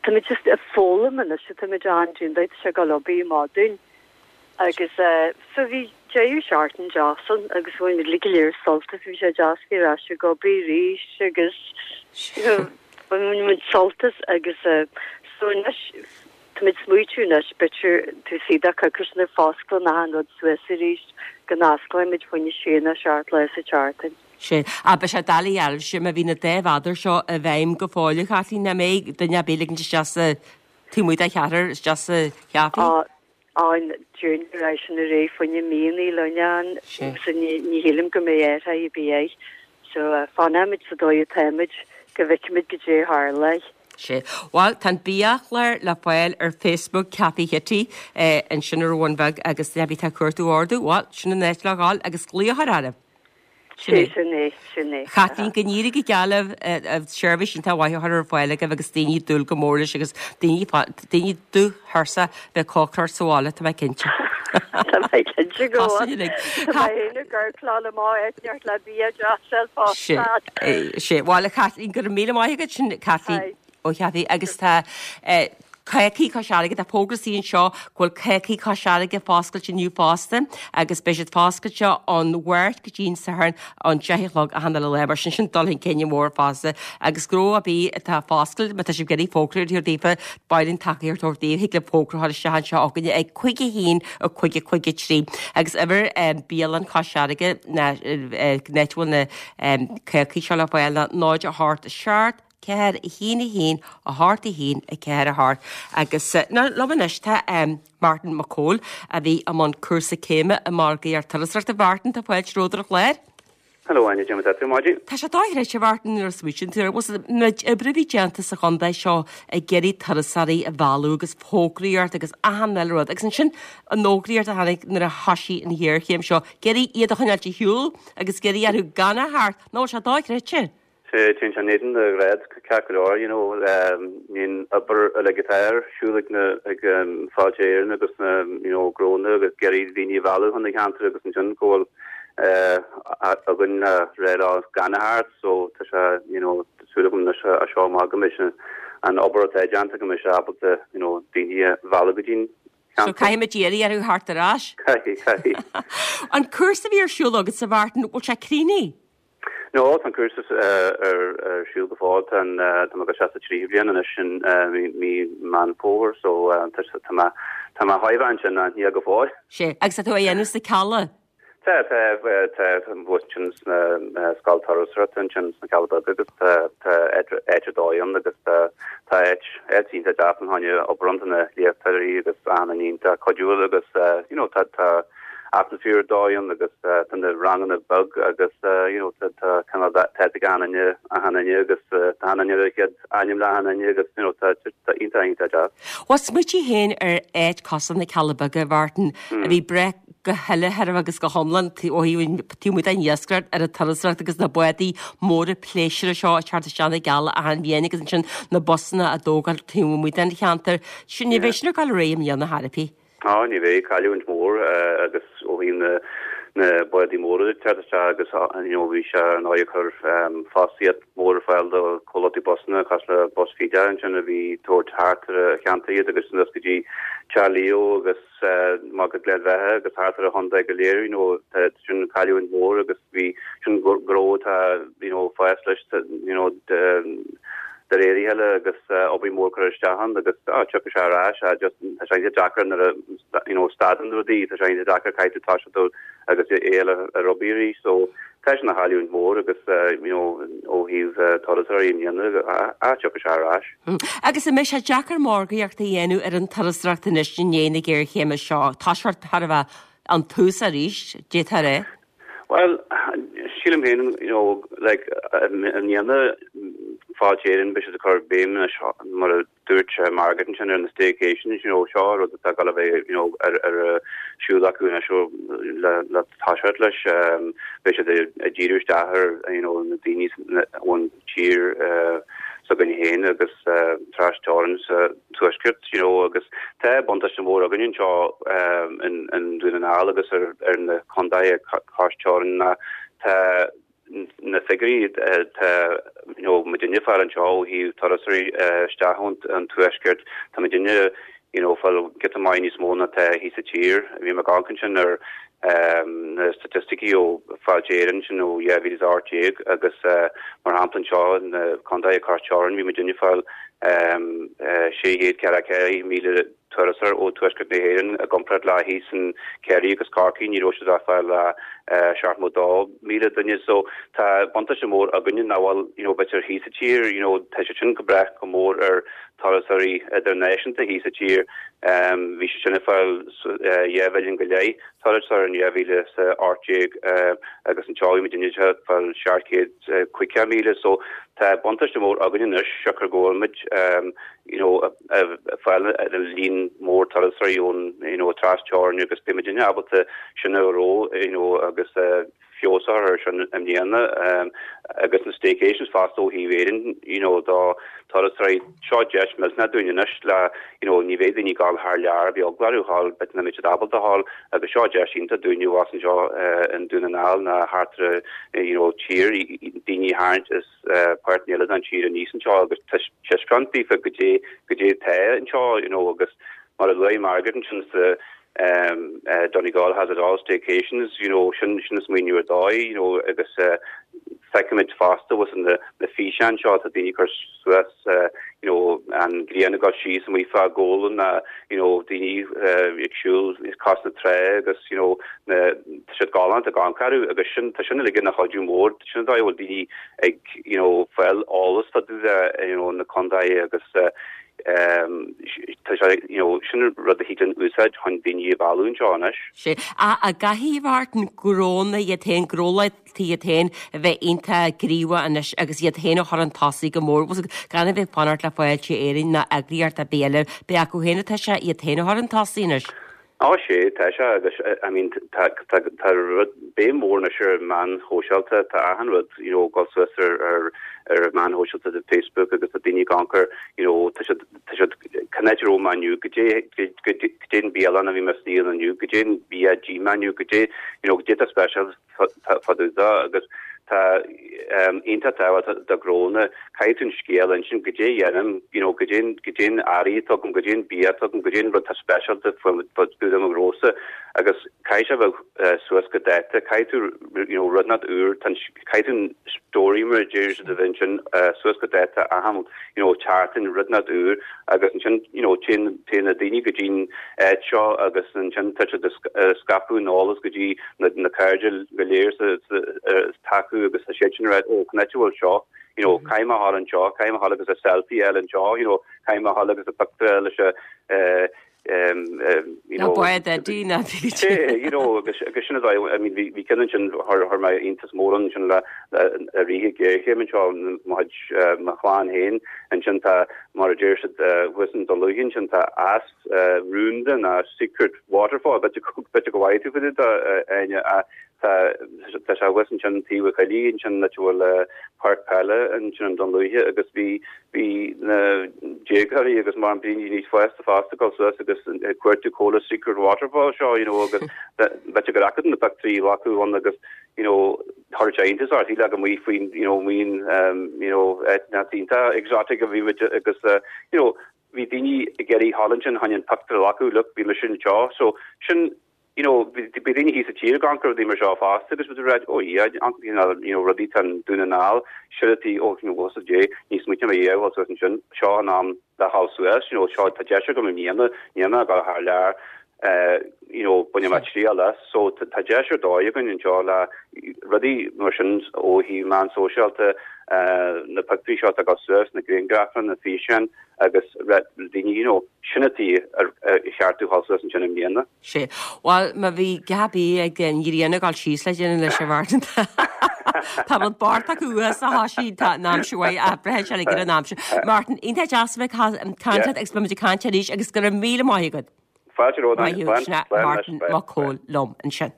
Tá muid just ag foghlaim anois, tá muid an-dian, tá sé ag dul obair maith dúinn. Agus so bhí deireadh seachtain deas ann agus bhain muid uilig go léir sult as, bhí sé deas bheith ar ais ag obair arís agus you know bhain muid sult as agus so anois tá muid smaoitiú anois b'fhéidir taobh istigh de coicís nuair a fosclaíonn achan rud suas arís go n-osclóidh muid fá choinne sé nó seacht lá sa tseachtain. Sea. Ach beidh sé doiligh oraibhse má bhí na dá mhéadar seo i bhfeidhm go fóill a Chaitlín, nach mbeidh duine ar bith ag ligint isteach sa taobh amuigh de cheathrar isteach sa chaife? Ann dúinn ar ais ina ré fá choinne míonna linn ann so ní ní shílim go mbeidh athrú ar bith air so fanfaimid sa dóigh atáimid go bhfeicfimid goidé a tharlóidh. Sea. Bhuel, tá an biachlár le fáil ar Facebook Café Chití ansin ar an Bhun Bheag agus duine ar bith atá ag cuartú ordú, bhuel, sin an áit le dhul agus glaoch a chur orthu. Sin é. Sin é, sin é. Chaitlín, go n-éirí go geal libh, seirbhís iontach mhaith á chur ar fáil agaibh agus daoine ag dúil go mór leis agus daoine daoine dubhthuirseach bheith ag cócaireacht sa bhaile, tá mé cinnte. Tá mé cinnte go bhfuil. Tá mé féin ag amharc lá le má eitneacht le bia deas fosta. Sea, bhuel a Chaitlín, go raibh míle maith agat, sin Caitlín. Ó Cheapaigh agus tá Cácaí Chois Fharraige, tá fógra istigh anseo go bhfuil Cácaí Chois Fharraige foscailte inniu fosta agus beidh siad foscailte ón Mháirt go dtí an Satharn ón 10 a chlog achan uile lá mar sin sin dul chun cinn mór fosta agus gnó ar bith atá foscailte má tá sibh ag iarraidh fógra a thabhairt daofa ba mhaith linn tacaíocht a thabhairt daoibh thig libh fógra a chur isteach anseo chugainne ag 5 1 5 5 3 agus uimhir bialann Chois Fharraige ná an áit a bhfuil na cácaí seo le fáil ná 0 8 7 4 1 1 8 1 4 8 Agus liom anois tá Martin Mac Cóil a bhí i mbun cúrsa céime i margaíocht turasóireachta. Mhartin, tá fáilte romhat ar an chlár. Hello Áine, cad é mar atá tú ar maidin. Tá sé dochreidte a Mhartin nuair a smaoitíonn tú air. Bhfuil an méid oibre a bhí déanta sa chontae seo ag iarraidh turasóirí a mhealladh agus fógraíocht agus achan uile rud agus ansin an fhógraíocht a tháinig nuair a thoisigh an ghéarchéim seo, ag iarraidh iad a choinneáilt ar shiúl agus ag iarraidh orthu gan a theacht. Nach bhfuil sé dochreidte? Sea, téann sé in éadan do ghrád ceart go leor, you know, an obair uilig atá ar siúl ag na, ag Fáilte Éireann agus na, you know, gnónna agus ag iarraidh daoine a mhealladh chun na ceantair agus ansin go bhfuil againn le rá leo gan a theacht so tá sé, you know, tá súil agam anois as seo amach go mbeidh an obair atá déanta go mbeidh sé ábalta, you know, daoine a mhealladh go dtí'n So caithfidh muid iarraidh orthu theacht ar ais. Caithfidh, caithfidh. An cúrsa a bhí ar siúl agatsa, a Mhartin, bhfuil sé críochnaithe? No, tá an cúrsa ar siúl go fóill. Tá tá mé ag dul isteach sa tríú bliain anois in mí Meán Fómhair so tá tá mé tá mé chóir a bheith ansin ach níl go fóill. Sea, agus tá tú á dhéanamh sna Cealla? Tá, tá, tá thuas ansin sna Scoil Turasóireachta ansin sna Cealla Beaga agus tá tá áit ar dóigh ann agus tá tá áit áit iontach deas ann chun obair ann tá na léachtóirí agus achan duine iontach cuidiúil agus you know tá tá atmaisféar ar dóigh ann agus tá na ranganna beag agus you know tá tá cineál tá ag achan duine achan duine agus tá achan duine ar a chéad ainm le achan duine agus you know tá tá iontach iontach deas. Bhuel smaoitigh féin ar áit cosúil na Cealla Beaga, a Mhartin, a bhí ag brath go huile thairbhe agus go hiomlán ó thaobh taobh amuigh den iascaireacht ar an turasóireacht agus na bádaí móra pléisiúir seo ag teacht isteach na gCealla achan bhliain agus ansin na busanna á dtógáil taobh amuigh den cheantar. Sin ní bheidh sin ag dul ar aghaidh i mbliana chor ar bith. Á, ní bheidh, cailliúint mhór agus ó thaobh na na bádaí móra ag teacht isteach agus you know bhí sé ar ndóigh ag cur fostaíocht mhór ar fáil do chomhlachtaí busanna cosúil le Bus Feda ansin a bhí ag tabhairt thart ar an cheantar iad agus anuas go dtí Teach Leo agus amach go Gleann Bheatha agus thart ar an chontae go léir you know tá sin cailliúint mhór agus bhí sin gnó atá you know fás leis you know de réir a chéile agus obair mhór curtha isteach ann agus tiocfaidh sé ar ais just tá sé iontach deacair nuair a you know stadann rudaí tá sé iontach deacair caithfidh tú toiseacht agus é a fháil ar obair arís so tá sin ina chailliúint mhór agus you know ó thaobh turasóirí i mbliana tiocfaidh sé ar ais. Agus an mbeidh sé deacair margaíocht a dhéanamh ar an turasóireacht anois i ndiaidh na géarchéime seo? Toiseacht thar a bheith ón tús arís, d'fhéadfá a rá. Bhuel, sílim féin, you know, like, i mbliana, Fáilte Éireann, beidh siad ag cur béim anois, mar a dúirt Margaret ansin, ar na staycations, you know, seo rud atá ag dul a bheith, you know, ar, ar siúl acu anois ó, le, le toiseacht leis, beidh siad ag díriú isteach ar, you know, na daoine ón tír s'againn féin agus trasteorann sa tuaisceart, you know, agus tá buntáiste mór againn anseo in Dún na nGall agus ar ar na contaetha cois teorann ná tá na figiúirí tá you know muidinne ag fáil anseo ó thaobh turasóirí isteach ón an tuaisceart, tá muidinne you know fáil giota maith níos mó ná tá thíos sa tír. Bhí mé ag amharc ansin ar na staitisticí ó Fáilte Éireann sin ó 2018 agus mar shampla anseo na contaetha cois teorann bhí muidinne ag fáil 644,000 turasóir ó Tuaisceart na hÉireann i gcomparáid le thíos in Ciarraí agus Corcaigh ní raibh siad ach ag fáil 72,000 duine so tá buntáiste mór againne nach bhfuil you know b'fhéidir thíos sa tír you know tá sé sin ag brath go mór ar turasóirí idirnáisiúnta thíos sa tír. Bhí siad sin ag fáil 2 mhilliún go leith turasóir in 2018 agus anseo bhí muidinne ag fáil 750,000 so tá buntáiste mór againn anois siocair go bhfuil muid you know ag fáil líon mór turasóirí ón you know tras-teorainn agus beidh muidinne ábalta sin a reo you know agus feabhas a chur air sin i mbliana agus na staycations fosta ó thaobh Éireann you know do turasóirí. Seo deis millteanach dúinn anois le you know ní bheidh daoine ag gabháil thar lear beidh eagla orthu a ghabháil b'fhéidir nach mbeidh siad ábalta a ghabháil agus seo deis iontach dúinne abhus anseo i nDún na nGall ná thart ar you know tír daoine a tharraingt as páirteanna eile den tír aníos anseo agus taispeáint daofa goidé goidé atá anseo you know agus mar a luaigh Margaret ansin sa Donegal has it all staycations, you know, sin sin an smaoineamh ar dóigh, you know, agus feicimid fosta bhfuil na na físeáin seo atá daoine ag cur suas, you know, an ghrian ag dul síos amuigh fá Ghabhla ná, you know, daoine ag siúl cois na trá agus, you know, na tá siad galánta ag amharc orthu agus sin tá sin uilig ina chuidiú mór, sin an dóigh a bhfuil daoine ag, you know, fáil eolas fá dtaobh de, you know, na contaetha agus. Tá sé, you know, sin rud a thig linn úsáid chun daoine a mhealladh anseo anois. Sea. An gcaithfidh, a Mhartin, gnónna iad féin, gnólachtaí iad féin a bheith iontach gníomhach anois agus iad féin a chur chun tosaigh go mór, gan a bheith ag fanacht le Fáilte Éireann ná eagraíocht ar bith eile, beidh acu féin atá sé iad féin a chur chun tosaigh anois. Á sea, tá sé agus I mean tá tá tá rud béim mhór anois ar meáin shóisialta, tá achan rud you know ag dul suas ar ar ar meáin shóisialta tá Facebook agus tá daoine ag amharc ar you know tá siad tá siad cén áit a raibh mé inniu, goidé goidé an bialann a bhí mé istigh ann inniu, goidé an bia a d'ith mé inniu, goidé you know goidé atá speisialta fá dtaobh de agus tá iontach tábhachtach do ghnónna, caithfidh tú an scéal a insint, goidé a dhéanaim, you know, goidé an, goidé an earraí atá agam, goidé an bia atá agam, goidé an rud atá speisialta fá dtaobh de mo ghnósa agus caithfidh sé a bheith suas go dáta, caithfidh tú, you know, rud inteacht úr, tá an, caithfidh tú an story mar a deir siad a bheith ansin suas go dáta achan, you know, tseachtain, rud inteacht úr agus ansin, you know, téann, téann na daoine go dtí'n áit seo agus ansin tá siad ag scaipeadh an eolas go dtí na na cairde go léir atá acu agus tá siad sin ag rá oh cén áit a bhfuil seo you know caithfidh mé a ghabháil anseo caithfidh mé a ghabháil agus a selfie a fháil anseo you know caithfidh mé a ghabháil agus a pictiúr a fháil leis a eh, um, um, you know bád Eddie na you know agus agus sin I mean bhí bhí ceann ansin chuir chuir mé iontas mór ansin le le ríthe géarchéim anseo mo chuid mo chlann féin ansin tá mar a deir siad thuas in Dún Lúiche ansin tá eas rúnda ná secret waterfall, b'fhéidir go bhfaighe tú fá dtaobh de, Áine, ach tá tá sé thuas ansin taobh an choillidh ansin áit a bhfuil páirc peile ansin in Dún Lúiche agus bhí bhí na déagóirí agus mar daoine níos fásta fosta ag dul suas agus ag cuartú cá bhfuil an secret waterfall seo you know agus b'fhéidir gur fhaca na pictiúirí a ghlacadh ann agus you know chuir sé iontas orthu le go mbeadh faoin you know maoin you know áit iontach exotic a bhí muid agus you know bhí daoine ag iarraidh a ghabháil ansin chun an pictiúr a ghlacadh, look, bhí mise anseo. So, sin, you know, bhí daoine thíos sa tír ag amharc ar rudaí mar seo fosta agus bhí rá, oh yeah, you know, rudaí tá in Dún na nGall, sure tí, oh, you know, bhfuil a fhios agat, ní smaoiním a dhéanamh suas ansin, seo an am le ghabháil suas, you know, seo, tá deis agam i mbliana, níl mé ag dul thar lear, you know, bainfidh mé triail as. So tá deis ar dóigh againn anseo le rudaí mar sin ó thaobh meán sóisialta, na pictiúirí seo atá ag dul suas, na grianghrafanna, na físeáin agus daoine, you know, sin an tuige ar cheart dúinn a ghabháil suas ansin i mbliana. Sea. Bhuel, má bhí Gabi ag an ghrian ag dul síos le déanamh leis an Mhartin. Tá rud bocht acu uas a thoisigh, tá an aimsir mhaith athraithe sé ag an aimsir. Martin, iontach deas a bheith ag caint leat agus beidh muid ag caint arís agus go raibh míle maith agat. Fáilte romhat, Maith thú, sin é Martin Mac Cóil liom ansin.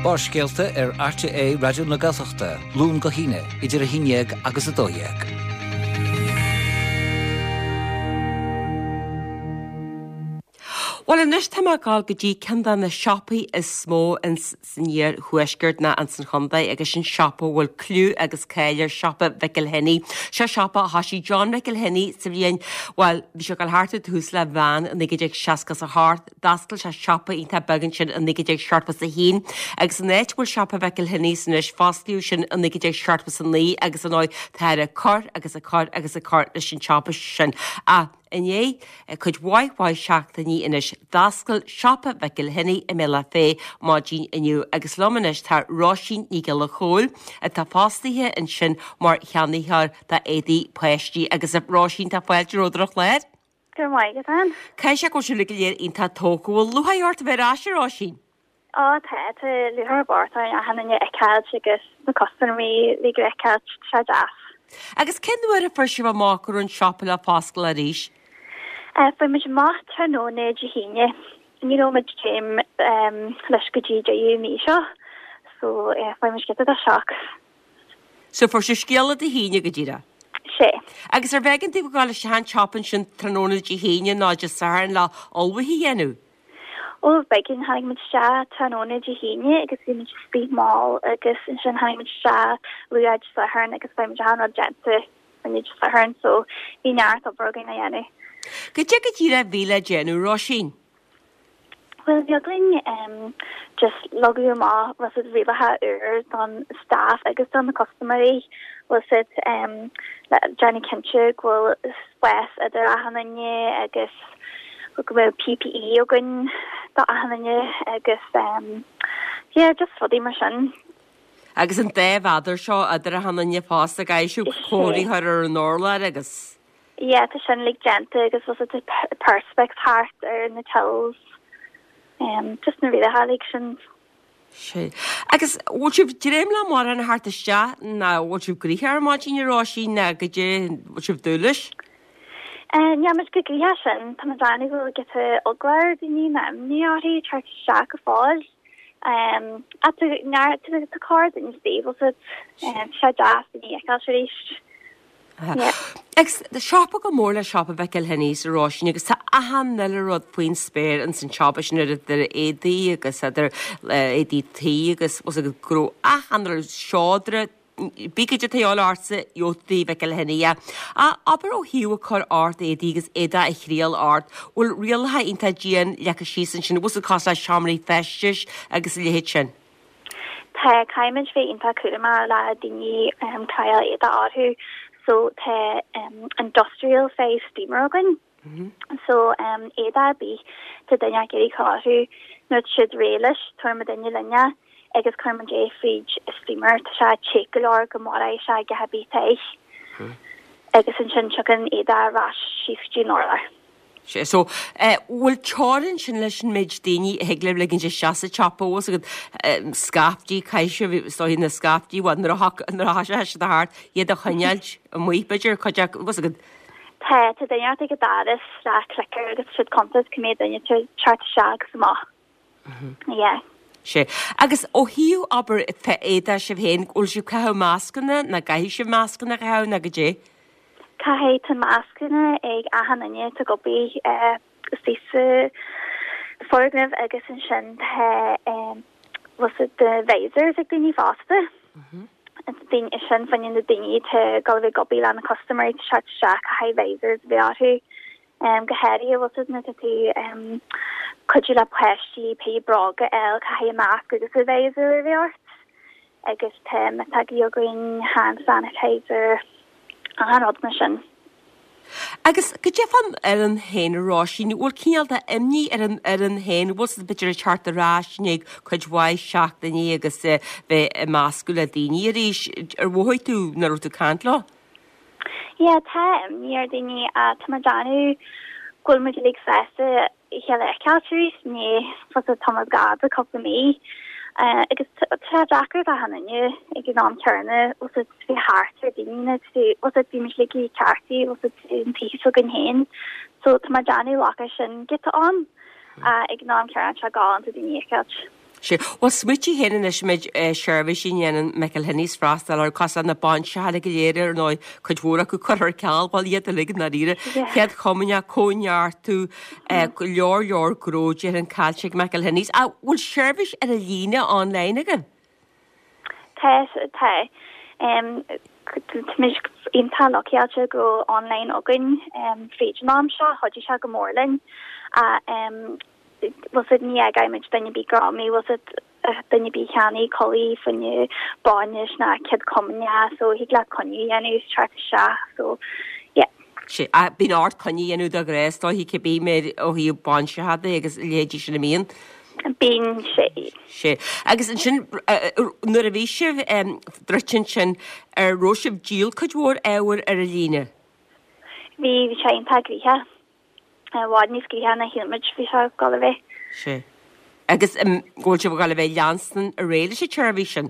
Barrscéalta ar RTÉ Raidió na Gaeltachta, Luan go hAoine, idir 11 agus 12. Bhuel anois tá mé ag dul go dtí ceann de na siopaí is mó ins san iar-thuaisceart ná ins an chontae agus sin siopa a bhfuil clú agus cáil air, siopa Mhicil Henny. Seo siopa a thoisigh John Mhicil Henny sa bhliain, bhuel, bhí sé ag dul thart ar tús le bhean i 1968. D'oscail sé siopa iontach beag ansin i 1971 agus an áit a bhfuil siopa Mhicil Henny's anois, fosclaíodh sin i 1979 agus ar ndóigh táthar ag cur agus ag cur agus ag cur leis an tsiopa sin. Ach i ndiaidh cuid mhaith mhaith seachtainí anois, d'oscail siopa Mhicil Henny i mBealach Féich maidin inniu agus liom anois tá Róisín Ní Ghiolla Chóill atá fostaithe ansin mar cheannaitheoir d'éadaí páistí agus a Róisín tá fáilte romhat ar an chlár. Go raibh maith agat, Ann. Caithfidh sé go bhfuil sibh go léir iontach tógtha. Bhfuil lúcháir ort a bheith ar ais, a Róisín? Á, tá, tá lúcháir mhór orainn achan duine a fheiceáilt agus na custaiméirí uilig a fheiceáilt, tá sé deas. Agus cén uair a fuair sibh amach go raibh an siopa le foscailt arís? Fuair muid amach tráthnóna Dé hAoine. Ní raibh muid céim leis go dtí deireadh mí seo, so fuair muid giota de shock. So fuair sibh scéala Dé hAoine go díreach? Sea. Agus arbh éigean daoibh a ghabháil isteach an tsiopa ansin tráthnóna Dé hAoine nó Dé Sathairn le ullmhuithe a dhéanamh? Ó, b'éigean. Tháinig muid isteach tráthnóna Dé hAoine agus bhí muid istigh mall agus ansin tháinig muid isteach luath Dé Sathairn agus bhí muid achan rud déanta inniu Dé Sathairn so bhí neart obair againn a dhéanamh. Goidé go díreach a bhí le déanamh, Róisín? Bhuel, bhí againn just leagadh amach bhfuil a fhios agat rialacha úr don staff agus do na custaiméirí, bhfuil a fhios agat le déanamh cinnte go bhfuil spás idir achan duine agus go mbeadh PPE againn do achan duine agus yeah, just rudaí mar sin. Agus an dá mhéadar seo idir achan duine fosta, caithfidh sibh comharthaí a chur ar an urlár agus. Yeah, tá sin uilig déanta agus bhfuil fhios agat perspex thart ar na tills. Just na rialacha uilig sin. Sea. Agus bhfuil sibh dréim le mórán a theacht isteach nó bhfuil sibh gnoitheach ar maidin a Róisín nó goidé bhfuil sibh dúil leis? Níl muid chomh gnoitheach sin. Tá muid ag déanamh go bhfuil giota eagla ar daoine nó imní orthu teacht isteach go fóill. Ach tá neart, tá corr-dhuine istigh, bhfuil fhios agat. Tá sé deas daoine a fheiceáil arís. Agus siopa chomh mór le siopa Mhichael Henneys a Róisín agus tá achan uile rud faoin spéir ins an tsiopa sin idir éadaí agus idir éadaí tí agus go raibh achan rud seodra pé goidé atá de dhíobháil ortsa gheobhaidh tú i Mhichael Henney é. Ach abair ó thaobh ag cur ort éadaí agus éadaí a thriail ort, bhfuil rialacha iontach dian leagtha síos ansin, bhfuil sé cosúil le seomraí feistis agus a leithéid sin? Tá, caithfimid bheith iontach cúramach le daoine triail éadaí orthu so tá industrial size steamer againn so éadaí ar bith tá duine ag iarraidh cur orthu nuair atá siad réidh leis tabharfaidh muidinne linn é agus cuireann muid é fríd steamer tá sé te go leor go maróidh sé a dhath ar bith atá air agus ansin tiocfaidh an éadaí ar ais síos go dtí an urlár. Sea, so, eh, bhfuil teorainn ansin leis an méid daoine a thig libh ligint isteach sa tsiopa, bhfuil fhios agat, eh, scaifte, caithfidh sibh, is dóigh na scaifte, bhuel, nuair a thac, nuair a thoiseoidh siad thart, iad a choinneáilt amuigh, b'fhéidir, cuid acu, bhfuil fhios agat. Tá, tá duine ag an doras le clicker agus tá siad cuntas cá mhéad duine atá ag teacht isteach agus amach. Yeah. Sea. Agus ó thaobh, abair, éadaí sibh féin, bhfuil sibh ag caitheamh mascanna, nó caithfidh sibh mascanna a chaitheamh, nó goidé? Caithfidh, tá mascanna ag achan duine atá ag obair istigh sa foirgneamh agus ansin tá bhfuil fhios agat na visors ag daoine fosta. Daoine sin fá choinne na daoine atá ag dul a bheith ag obair le na custaiméirí ag teacht isteach caithfidh visors a bheith orthu. Go háirithe bhfuil fhios agat nuair atá tú cuidiú le páistí pé bróga a fháil caithfidh masc agus a visor a bheith ort agus tá miotógaí againn, hand sanitizer, achan rud mar sin. Agus goidé fán fhoireann féin a Róisín, bhfuil cineál de imní ar an fhoireann féin, bhfuil siad b'fhéidir ag teacht ar ais i ndiaidh cuid mhaith seachtainí agus bheith ag meascadh le daoine arís, ar mhothaigh tú nuair a raibh tú ag caint leo? Yeah, tá imní ar daoine ach tá mé ag déanamh go bhfuil muid uilig sásta a chéile a fheiceáil arís i ndiaidh bhfuil fhios agat tamall fada, cúpla mí. Agus tá sé deacair d'achan duine ag an am céanna bhfuil fhios agat bheith thart ar daoine nó bhfuil fhios agat bhí muid uilig ceartaithe bhfuil fhios agat an taobh s'againn féin. So tá mé ag déanamh glacadh sin giota ann ach ag an am céanna tá sé galánta daoine a fheiceáil. Sea. Bhuel, smaoitigh féin anois an méid seirbhísí a ndéanann McElhinney's freastal orthu, cosúil le na bainseacha go léir, ar ndóigh, cuid mhór acu curtha ar ceal, bhuel, iad uilig i ndáiríre. Chéad Chomaoineach, Cóineartú, go leor leor gnó déarfainn caillte ag McElhinney's. Ach bhfuil seirbhís ar an líne online agaibh? Tá, tá. Táimid iontach luckáilte go raibh online againn fríd an am seo, chuidigh sé go mór linn. Ach bhfuil fhios agat ní fhágfaidh muid duine ar bith greamaithe, bhfuil fhios agat duine ar bith cheannaigh culaith fá choinne bainis ná céad comaoineach so thig leat coinne a dhéanamh is teacht isteach so yeah. Sea, ach bíonn ort coinne a dhéanamh de ghnáth is dóiche cibé méid ó thaobh bainseacha de agus a leithéidí sin a mbíonn. Bíonn, sea. Sea. Agus ansin nuair a bhí sibh druidte ansin ar raibh sibh díol cuid mhór ábhair ar an líne? Bhí, bhí sé iontach gnoitheach. I bhfad níos gnoithí ná shíl muid bhí sé ag dul a bheith. Sea. Agus an bhfuil sibh ag dul a bheith ag leanstan ar aghaidh leis an tseirbhís sin?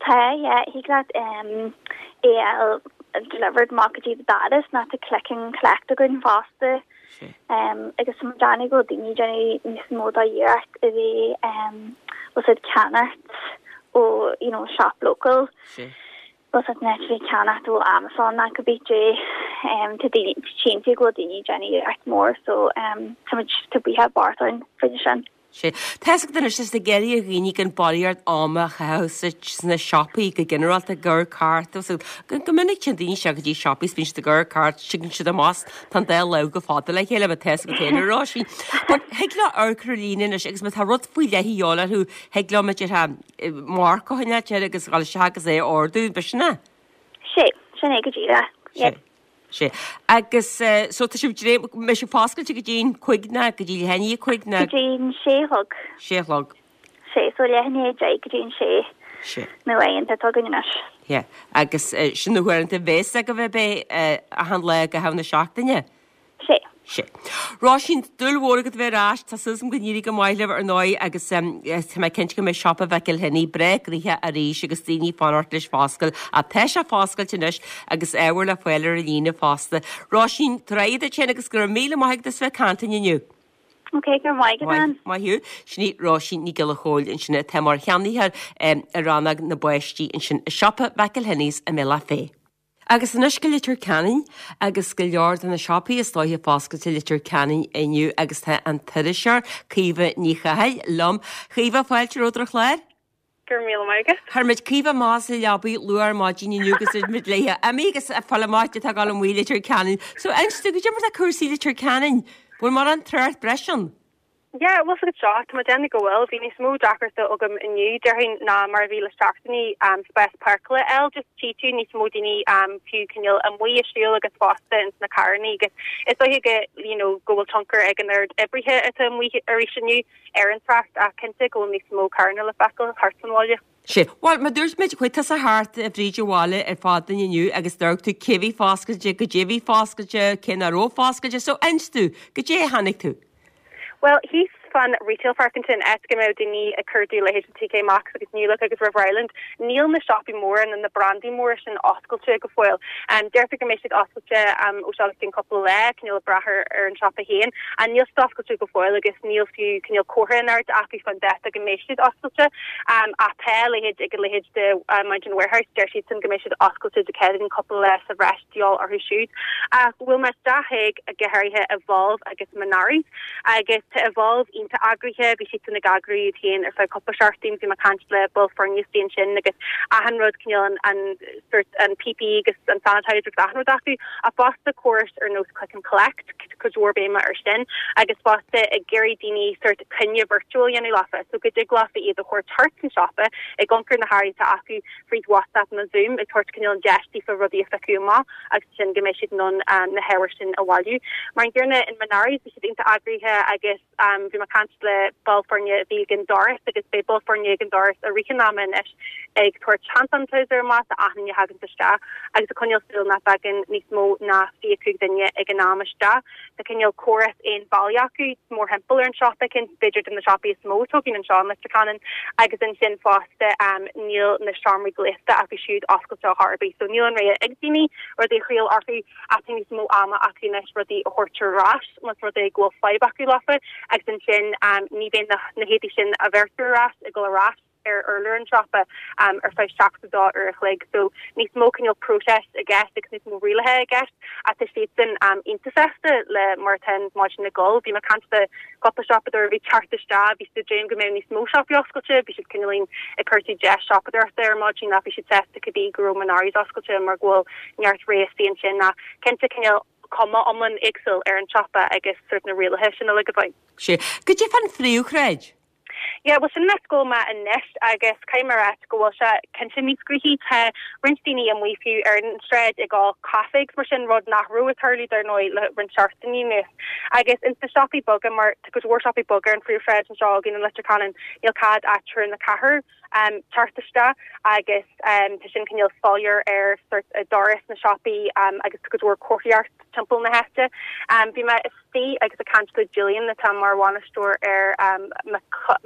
Tá, yeah. Thig leat é a fháil delivered amach go dtí do dhoras nó tá click and collect againn fosta. Sea. Agus tá muid ag déanamh go bhfuil daoine ag déanamh níos mó d'iarracht a bheith bhfuil fhios agat ag ceannacht ó you know shop local. Sea. Bhfuil fhios agat in áit a bheith ag ceannacht ó Amazon ná cibé dé tá daoine cinnte go bhfuil daoine ag déanamh iarracht mór so tá muid tá buíochas barr orainn faoina sin. Sea. Tá fhios agat anois is ag iarraidh ar dhaoine gan barraíocht ama a chaitheamh sa sna siopaí go ginearálta ag amharc thart agus go go minic téann daoine isteach go dtí siopaí is bíonn siad ag amharc thart tuigeann siad amach tá an dá lámh go fada le chéile mar tá fhios agat féin a Róisín. But thig leo amharc ar líne anois agus má tá rud faoi leith a dhíobháil orthu thig leo mar a déarfá marc a choinneáilt air agus dhul isteach agus é a ordú, b'shin é? Sea, sin é go díreach. Sea, sea. Agus so tá sibh dréim, mbeidh sibh foscailte go dtí'n cuig ná go dtí leath i ndiaidh a cuig ná? Go dtí'n sé a chlog. Sé a chlog. Sea, so leath i ndiaidh a deich go dtí'n sé. Na laethanta atá againn anois. Yeah. Agus sin na huaireanta a bhéas agaibh ab é achan lá i gcaitheamh na seachtaine? Sea. Sea. Róisín, dúil mhór agat a bheith ar ais. Tá súil agam go n-éirí go maith libh ar ndóigh agus tá mé cinnte go mbeidh siopa Mhcilhenny breá gnoitheach arís agus daoine ag fanacht leis foscailt. Ach tá sé foscailte anois agus ábhar le fáil ar an líne fosta. Róisín, tabhair aghaidh duit féin agus go raibh míle maith agat as bheith ag caint linn inniu. Ok, go raibh maith agat, Ann. Maith thú. Sin í Róisín Ní Ghiolla Chóill ansin atá mar cheannaitheoir i rannóg na bpáistí ansin i siopa McElhenney's i mBealach Féich. Agus anois go Leitir Ceanainn agus go leor de na siopaí is dóiche foscailte i Leitir Ceanainn inniu agus tá an t-iriseoir Caoimhe Ní Chathail liom. Caoimhe, fáilte romhat ar an chlár. Go raibh míle maith agat. Chuir muid Caoimhe amach as a leabaidh luath ar maidin inniu agus dúirt muid léithe, imigh agus fáil amach caidé atá ag dul amuigh i Leitir Ceanainn. So inis dúinn, goidé mar tá cúrsaí i Leitir Ceanainn? Bhfuil mórán trácht breise ann? Yeah, bhfuil 's agat seo, tá mé ag déanamh go bhfuil. Bhí níos mó deacrachta agam inniu, déarfainn, ná mar a bhí le seachtainí spás páirceála a fháil. Just tchí tú níos mó daoine fiú cineál amuigh ag siúl agus fosta ins na carrannaí agus is dóiche go, you know, go bhfuil tionchar ag an oiread oibrithe atá amuigh arís inniu. ar an trácht ach cinnte go bhfuil níos mó carranna le feiceáil thart san bhaile. Sea. Bhuel, mar dúirt muid, chuaigh tusa thart fríd an bhaile ar fad dúinn inniu agus d'amharc tú cé bhí foscailte, goidé bhí foscailte, cé nach raibh foscailte, so inis dúinn, goidé a chonaic tú? Bhuel, thíos fan Retail Park ansin, áit go mbeadh daoine ag cuardú leithéid TK Maxx agus New Look agus River Island, níl na siopaí móra nó na brandaí móra sin oscailte go fóill. Deirtear go mbeidh siad oscailte ó seo go ceann cúpla lá, cineál ag brath ar an siopa féin, ach níl siad oscailte go fóill agus níl fiú cineál comhartha in airde acu fán dáta go mbeidh siad oscailte. Ach tá a leithéid ag a leithéid de Mountain Warehouse, deir siadsan go mbeidh siad oscailte Dé Céadaoin cúpla lá sa bhreis de dhíobháil orthu siúd. Ach bhuail mé isteach chuig, go háirithe Evolve agus Monari's agus tá Evolve iontach eagraithe, bhí siadsan ag eagrú iad féin ar feadh cúpla seachtain, bhí mé ag caint le baill foirne istigh ansin agus achan rud cineál an, an sort an PPE agus an sanitizer agus achan rud acu ach fosta córais ar nós click and collect, cuid mhór béime ar sin agus fosta ag iarraidh daoine sort coinne virtual a dhéanamh leofa so go dtig leofa iad a thabhairt thart an siopa ag amharc ar na hearraí atá acu fríd WhatsApp nó Zoom ag tabhairt cineál an deis daofa rudaí a phiocadh amach agus ansin go mbeidh siad in ann na hábhair sin a bhailiú. Mar an gcéanna in Monari's bhí siad iontach eagraithe agus bhí mé ag caint le ball foirne a bhí ag an doras agus beidh ball foirne ag an doras i rith an ama anois ag tabhairt hand sanitizer amach do achan duine a thaganns isteach agus ag coinneáil súil nach dtagann níos mó ná 25 duine ag an am isteach. Tá cineál córas aon bhealaigh acu mórthimpeall ar an siopa, ceann b'fhéidir de na siopaí is mó atá againn anseo in Leitir Ceanainn agus ansin fosta níl na seomraí gléasta acu siúd oscailte ar chor ar bith so níl an rogha ag daoine rudaí a thriail orthu ach tá níos mó ama acu anois rudaí a thabhairt ar ais más rud é go bhfuil fadhb acu leofa agus ansin ní bheidh na héadaí sin a bheirtear ar ais ag dul ar ais ar urlár an tsiopa ar feadh 72 uair a chloig. So níos mó cineál próiseas i gceist agus níos mó rialaithe i gceist ach tá siadsan iontach sásta le mar atá an mhaidin ag dul. Bhí mé ag caint le cúpla siopadóir a bhí ag teacht isteach, bhí siad ag dréim go mbeadh níos mó siopaí oscailte, bhí siad cineáilín ag cuartú deis siopadóireachta ar maidin ach bhí siad sásta cibé go raibh Monari's oscailte mar go bhfuil neart rogha istigh ansin ach cinnte cineál cuma iomlán éagsúil ar an tsiopa agus sort na rialaithe sin uilig i bhfeidhm. Sea. Goidé fán phríomhshráid? Yeah, bhuel sin an áit go bhfuil mé anois agus caithfidh mé a ráit go bhfuil sé cinnte níos gnoithí. Tá roinnt daoine amuigh fiú ar an tsráid ag ól caife agus mar sin, rud nach raibh ag tarlú dar ndóigh le roinnt seachtainí anuas. Agus ins na siopaí beaga, mar tá cuid mhór siopaí beaga ar an phríomhshráid anseo againn i Leitir Ceanainn, níl cead ach triúr nó ceathrar teacht isteach agus tá sin cineál soiléir ar sort doras na siopaí agus tá cuid mhór comharthaíocht timpeall na háite. Bhí mé istigh agus ag caint le Julian atá mar bhainisteoir ar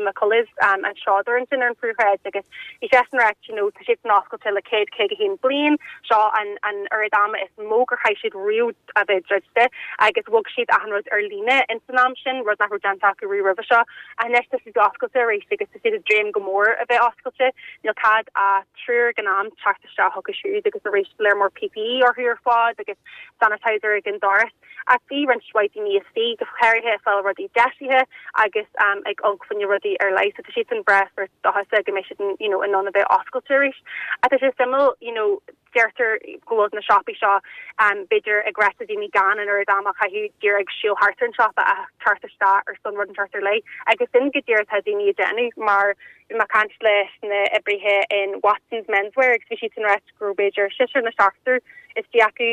McCullough's an seodóir ansin ar an phríomhshráid agus bhí seisean ag ráit you know tá siadsan oscailte le 151 bliain, seo an an oiread ama is mó gur chaith siad riamh a bheith druidte agus bhog siad achan rud ar líne ins an am sin, rud nach raibh déanta acu riamh roimhe seo. Ach anois tá siad oscailte arís agus tá siad ag dréim go mór a bheith oscailte, níl cead ach triúr ag an am teacht isteach chucu siúd agus arís léar mór PPE orthu ar fad agus sanitizer ag an doras. Ach bhí roinnt mhaith daoine istigh, go háirithe ag fáil rudaí deisithe agus ag amharc fá choinne rudaí ar leith. So tá siadsan breá sort dóchasach go mbeidh siad you know in ann a bheith oscailte arís. Ach tá sé suimiúil you know deirtear go bhfuil na siopaí seo b'fhéidir ag rá le daoine gan an oiread ama a chaitheamh díreach ag siúl thart ar an siopa ach teacht isteach ar son rud inteacht ar leith. Agus sin go díreach atá daoine ag déanamh mar. Bhí mé ag caint leis na oibrithe in Watsons Menswear agus bhí siadsan ag ráit go raibh b'fhéidir seisear nó seachtar istigh acu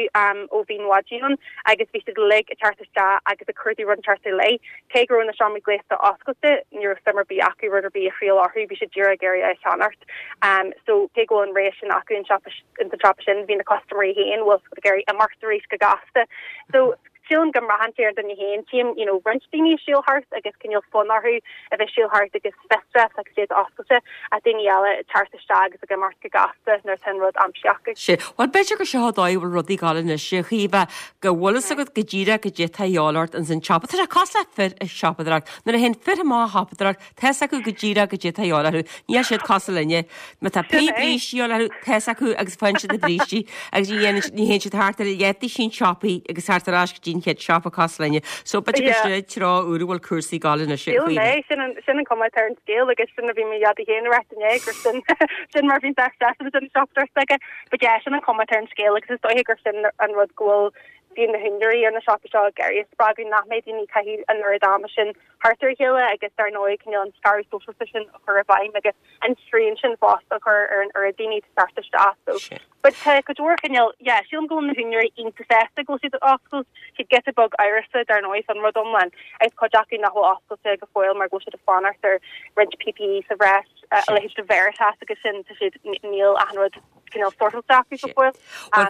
ó bhí an mhaidin ann agus bhí siad uilig ag teacht isteach agus ag cuardú rud inteacht ar leith. Cé go raibh na seomraí gléasta oscailte, ní raibh suim ar bith acu rud ar bith a thriail orthu, bhí siad díreach ag iarraidh é a cheannacht. So cé go bhfuil an rogha sin acu in sa siopa sin, bhí na custaiméirí féin, bhfuil siad ag iarraidh imeacht arís go gasta. So sílim go mbraitheann sé ar an duine féin. Tchím, you know, roinnt daoine ag siúl thart agus cineál fonn orthu a bheith siúl thart agus fiosrach agus iad oscailte, ach daoine eile ag teacht isteach agus ag imeacht go gasta nuair atá an rud aimsithe acu. Sea. Bhuel, b'fhéidir gur seo an dóigh a bhfuil rudaí ag dul anois, a Chaoimhe, go bhfuil fhios agat go díreach goidé atá a dhíobháil ort ins an tsiopa. Tá sé cosúil le fir ag siopadóireacht. Nuair a théann fir amach ag siopadóireacht, Tá fhios acu go díreach goidé atá a dhíobháil orthu. Níl siad cosúil linne. Má tá pé brístí a dhíobháil orthu, tá fhios acu agus faigheann siad na brístí agus ní dhéanann ní théann siad thart ar leathdhosaen siopaí agus thart ar ais go dtí an chéad siopa cosúil linne. So b'fhéidir gur sin an treo úr a bhfuil cúrsaí ag dul anois. Sílim é, sin an sin an cuma atá ar an scéal agus sin a bhí mo dhaidí féin ag ráit inné gur sin sin mar a bhíonn seisean ag déanamh siopadóireacht aige. But yeah, sin an cuma atá ar an scéal agus is dóiche gur sin an rud go bhfuil bhíonn na húinéirí ar na siopaí seo ag iarraidh a spreagadh nach mbeidh daoine ag caitheamh an oiread ama sin thart ar a chéile agus dar ndóigh cineál an scaradh sóisialta sin a chur i bhfeidhm agus an srian sin fosta a chur ar an oiread daoine ag teacht isteach so but tá cuid mhór cineál yeah sílim go bhfuil na húinéirí iontach sásta go bhfuil siad ag oscailt, siad giota beag amhrasach dar ndóigh fán rud iomlán agus cuid acu nach bhfuil oscailte go fóill mar go bhfuil siad ag fanacht ar roinnt PPE sa bhreis a leithéid de Veritas agus sin tá siad níl achan rud cineál sortáilte acu go fóill.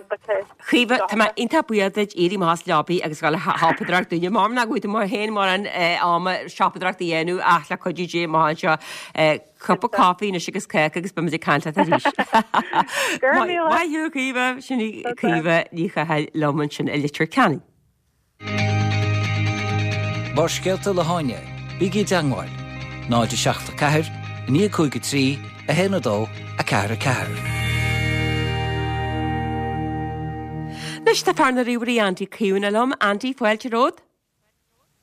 But tá. Chaoimhe, tá mé iontach buíoch duit éirí amach as leabaidh agus dhul a shiopadóireacht dúinne. Mar nach bhfuil tú mar féin mórán ama siopadóireacht a dhéanamh ach le cuidiú Dé amach anseo cupa caife anois agus cáca agus beimid ag caint leat arís. Go raibh míle. Maith thú, a Chaoimhe. Sin í Caoimhe Ní Chathail liom ansin i Leitir Ceanainn. Barrscéalta le hÁine, bígí i dteangmháil, 0 7 4 9 5 3 1 2 4 4. Anois tá fear na ríomhairí Andy Caomhánach liom. Andy, fáilte romhat.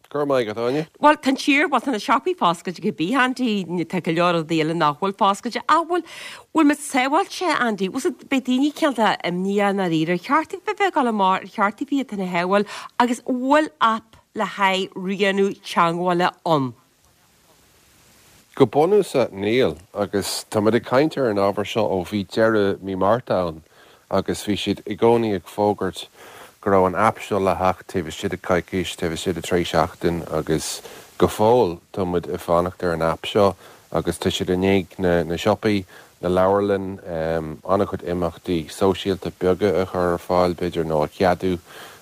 Go raibh maith agat, Áine. Bhuel, tá an tír, bhuel, tá na siopaí foscailte cibé, Andy, tá go leor rudaí eile nach bhfuil foscailte, ach bhfuil, bhfuil muid sábháilte, Andy? Bhfuil siad, beidh daoine cineál de imníoch i ndáiríre, ar cheart daofa bheith ag dul amach, ar cheart daofa iad féin a shábháil, agus bhfuil aip le haghaidh rianú teagmhála ann? Go bunúsach, níl, agus tá muid ag caint ar an ábhar seo ó bhí deireadh mí Márta ann agus bhí siad i gcónaí ag fógairt go raibh an aip seo le theacht taobh istigh de coicís, taobh istigh de trí seachtain agus go fóill tá muid ag fanacht ar an aip seo agus tá siad i ndiaidh na siopaí, na leabharlann, an-chuid imeachtaí sóisialta beaga a chur ar fáil, b'fhéidir, nó a cheadú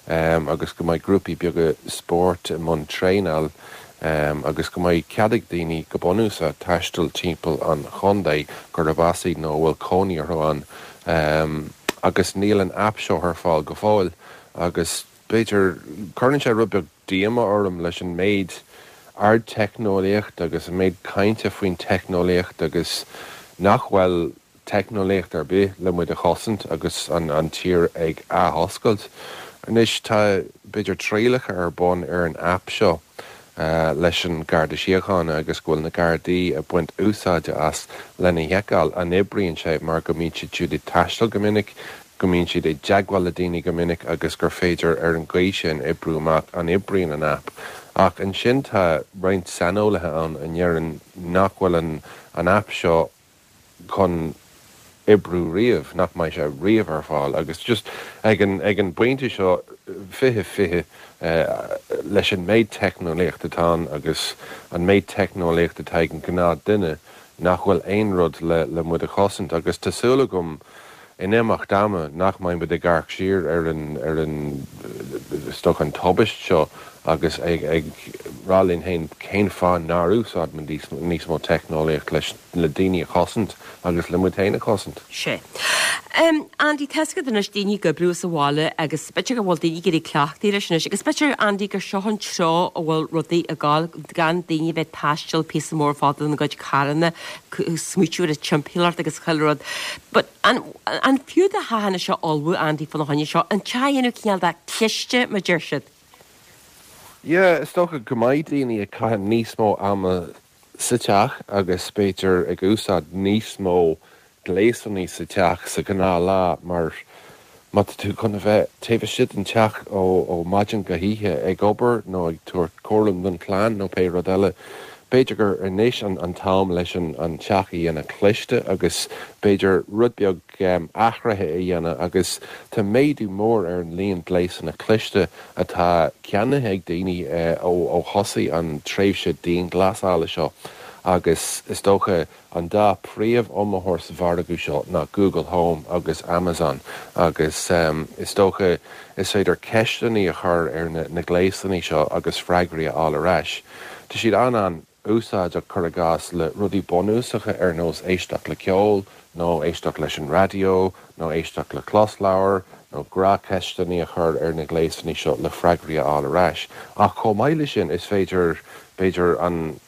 agus go mbeidh grúpaí beaga spóirt i mbun traenáil agus go mbeidh cead ag daoine, go bunúsach, taisteal timpeall an chontae, gurb as iad nó a bhfuil cónaí orthu ann. Agus níl an aip seo ar fáil go fóill agus b'fhéidir, cuireann sé rud beag díomá orm leis an méid ardteicneolaíocht agus an méid cainte faoin teicneolaíocht agus nach bhfuil teicneolaíocht ar bith le muid a chosaint agus an tír ag athoscailt. Anois tá b'fhéidir trialacha ar bun ar an aip seo leis an Garda Síochána agus go bhfuil na Gardaí ag baint úsáide as lena sheiceáil an oibríonn sé mar go mbíonn siad siúd ag taisteal go minic, go mbíonn siad i dteagmháil le daoine go minic agus gur féidir ar an gcaoi sin oibriú amach an oibríonn an aip. Ach ansin tá roinnt saineolaithe ann a ndeireann nach bhfuil an an aip seo chun oibriú riamh, nach mbeidh sé riamh ar fáil agus just ag an ag an bpointe seo 2020 leis an méid teicneolaíocht atá ann agus an méid teicneolaíocht atá ag an gnáth duine nach bhfuil aon rud le le muid a chosaint agus tá súil agam in imeacht ama nach mbeidh muid ag amharc siar ar an, ar an, is dócha an tubaist seo agus ag, ag rá linn féin cén fáth nár úsáid muid níos, níos mó teicneolaíocht leis, le daoine a chosaint agus le muid féin a chosaint. Sea. Andy, tá a fhios agat anois daoine ag oibriú as an bhaile agus b'fhéidir go bhfuil daoine ag éirí cleachtaithe leis anois agus b'fhéidir, Andy, gur seo an treo a bhfuil rudaí ag gabháil, gan daoine a bheith ag taisteal píosa mór fada ina gcuid carranna, smaoitiú ar an timpeallacht agus chuile rud. But an, an fiú do theach anois a ullmhú, Andy, fána choinne seo? An teach a dhéanamh cineál de cliste, mar deir siad? Yeah, is dócha go mbeidh daoine ag caitheamh níos mó ama sa teach agus b'fhéidir ag úsáid níos mó gléasanna sa teach sa ghnáth lá mar má tá tú chun a bheith taobh istigh den teach ó maidin go hoíche ag obair nó ag tabhairt cúram don chlann nó pé rud eile. B'fhéidir gur anois an t-am leis an teach a dhéanamh cliste agus b'fhéidir rud beag athraithe a dhéanamh agus tá méadú mór ar an líon gléasanna cliste atá ceannaithe ag daoine ó thosaigh an tréimhse dianghlasála seo agus is dócha An dá príomh-iomaitheoir sa mhargadh seo ná Google Home agus Amazon agus is dócha is féidir ceisteanna a chur ar na gléasanna seo agus freagraí a fháil ar ais. Tá siad an-an-úsáideach cuir i gcás le rudaí bunúsacha ar nós éisteacht le ceol nó éisteacht leis an raidió nó éisteacht le closleabhar nó gnáthcheisteanna a chur ar na gléasanna seo le freagraí a fháil ar ais. Ach chomh maith le sin is féidir b'fhéidir an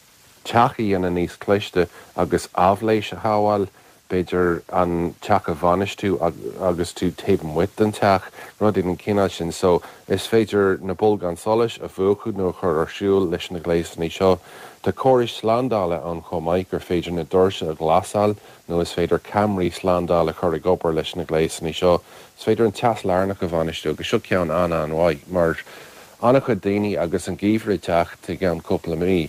teach a dhéanamh níos cliste agus aibhléis a shábháil, b'fhéidir an teach a bhainistiú agus tú taobh amuigh den teach, rudaí den chineál sin. So, is féidir na bolgáin solais a mhúchadh nó a chur ar siúl leis na gléasanna seo. Tá córais slándála ann chomh maith gur féidir na doirse a ghlasáil nó is féidir ceamaraí slándála a chur ag obair leis na gléasanna seo. Is féidir an teas lárnach a bhainistiú agus seo ceann an-an-mhaith mar An-chuid daoine agus an geimhreadh ag teacht i gceann cúpla mí,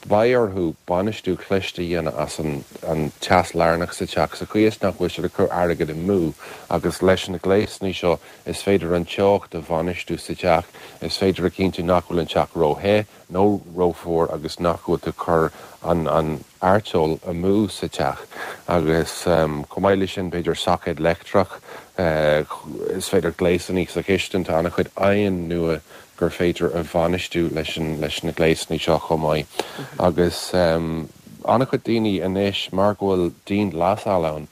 beidh orthu bainistiú cliste a dhéanamh as an teas lárnach sa teach sa chaoi is nach bhfuil siad ag cur airgead amú agus leis na gléasanna seo is féidir an teocht a bhainistiú sa teach, is féidir a chinntiú nach bhfuil an teach ró-the nó rófhuar agus nach bhfuil tú ag cur an artseol amú sa teach agus chomh maith leis sin b'fhéidir soicéad leictreach, is féidir gléasanna sa chistin, tá an-chuid oighinn nua gur féidir a bhainistiú leis leis na gléasanna seo chomh maith agus an-chuid daoine anois mar go bhfuil dianghlasáil ann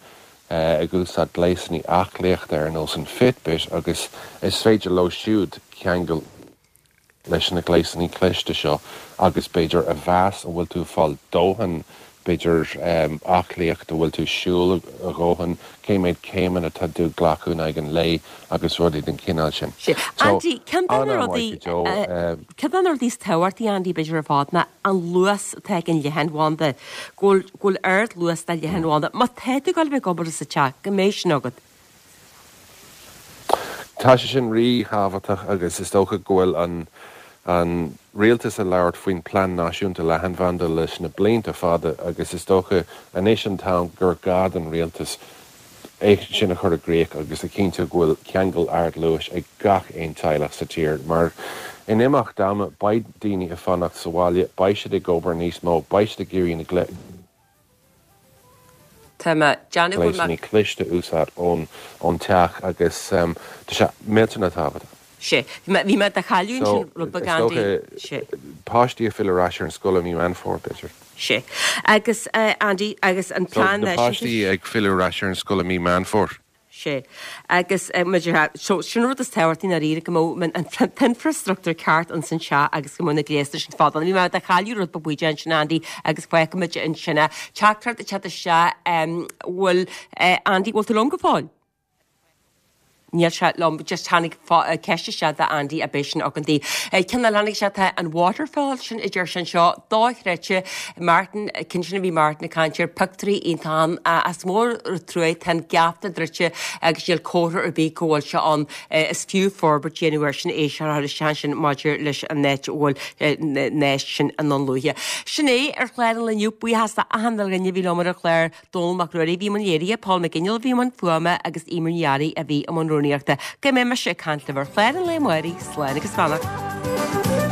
ag úsáid gléasanna aclaíochta ar nós an Fitbit agus is féidir leo siúd ceangal leis na gléasanna cliste seo agus b'fhéidir a mheas an bhfuil tú ag fáil dóthain b'fhéidir aclaíocht, an bhfuil tú ag siúl a dhóthain, cé méad céimeanna atá tú ag glacadh in aghaidh an lae agus rudaí den chineál sin. Sea. So, Andy, ceann de na rudaí, an-an-mhaith go deo. ceann de na rudaí is tábhachtaí, Andy, b'fhéidir ar fad ná an luas atá ag an leathanbhanda, go bhfuil, go bhfuil ard-luas de leathanbhanda. Má tá tú ag dul a bheith ag obair as an teach, go mbeidh sin agat. Tá sé sin ríthábhachtach agus is dócha go bhfuil an an rialtas ag labhairt faoin Plean Náisiúnta Leathanbhanda leis na blianta fada agus is dócha anois an t-am gur gá don rialtas é sin a chur i gcrích agus a chinntiú go bhfuil ceangal ardluais ag gach aon teaghlach sa tír mar in imeacht ama beidh daoine ag fanacht sa bhaile, beidh siad ag obair níos mó, beidh siad ag iarraidh na Tá mé déanamh go bhfuil mé. gléasanna cliste a úsáid ón teach agus tá sé millteanach tábhachtach. Sea. Bhí mé, bhí mé do chailleadh So, ansin rud beag is Andy. dócha Sea. páistí ag filleadh ar ais ar an scoil i mí Meán Fómhair, b'fhéidir. Sea. Agus, Andy, agus an So, plean na náisiúnta. páistí ag filleadh ar ais ar an scoil i mí Meán Fómhair. Sea. Agus maidir le, so, sin an rud is tábhachtaí ndáiríre, go mbeadh an t-infreastruchtúr ceart ins an teach agus go mbeadh na gléasanna sin fada. Bhí mé do chailleadh rud beag bídeach ansin, Andy, agus fágfaimid ansin é. Teachtaireacht ag teacht isteach, bhfuil, Andy, bhfuil tú liom go fóill? Níl sé liom, just tháinig ceist isteach do Andy a beidh sin againn di. Ceann eile tháinig isteach tá an waterfall sin a deir sé anseo, dochreidte, Martin, ceann sin a bhí Martin ag caint air, pictiúirí iontach ann, ach is mór an trua tá an geata druidte agus níl comhartha ar bith go bhfuil sé ann. Is fiú forbairt a dhéanamh air sin, é seo a chur isteach ansin maidir leis an áit a bhfuil na sin i nDún Lúiche. Sin é ar chlár an lae inniu, buíochas do achan duine a bhí liom ar an chlár. Dónall Mac Ruairí a bhí i mbun léirithe, Paul McGinley a bhí i mbun fuaime agus Eimear Ní Fhearraigh a bhí i mbun rúnaíochta. Go mbeidh mise ag caint libh ar chlár an lae amárach, slán agus beannacht.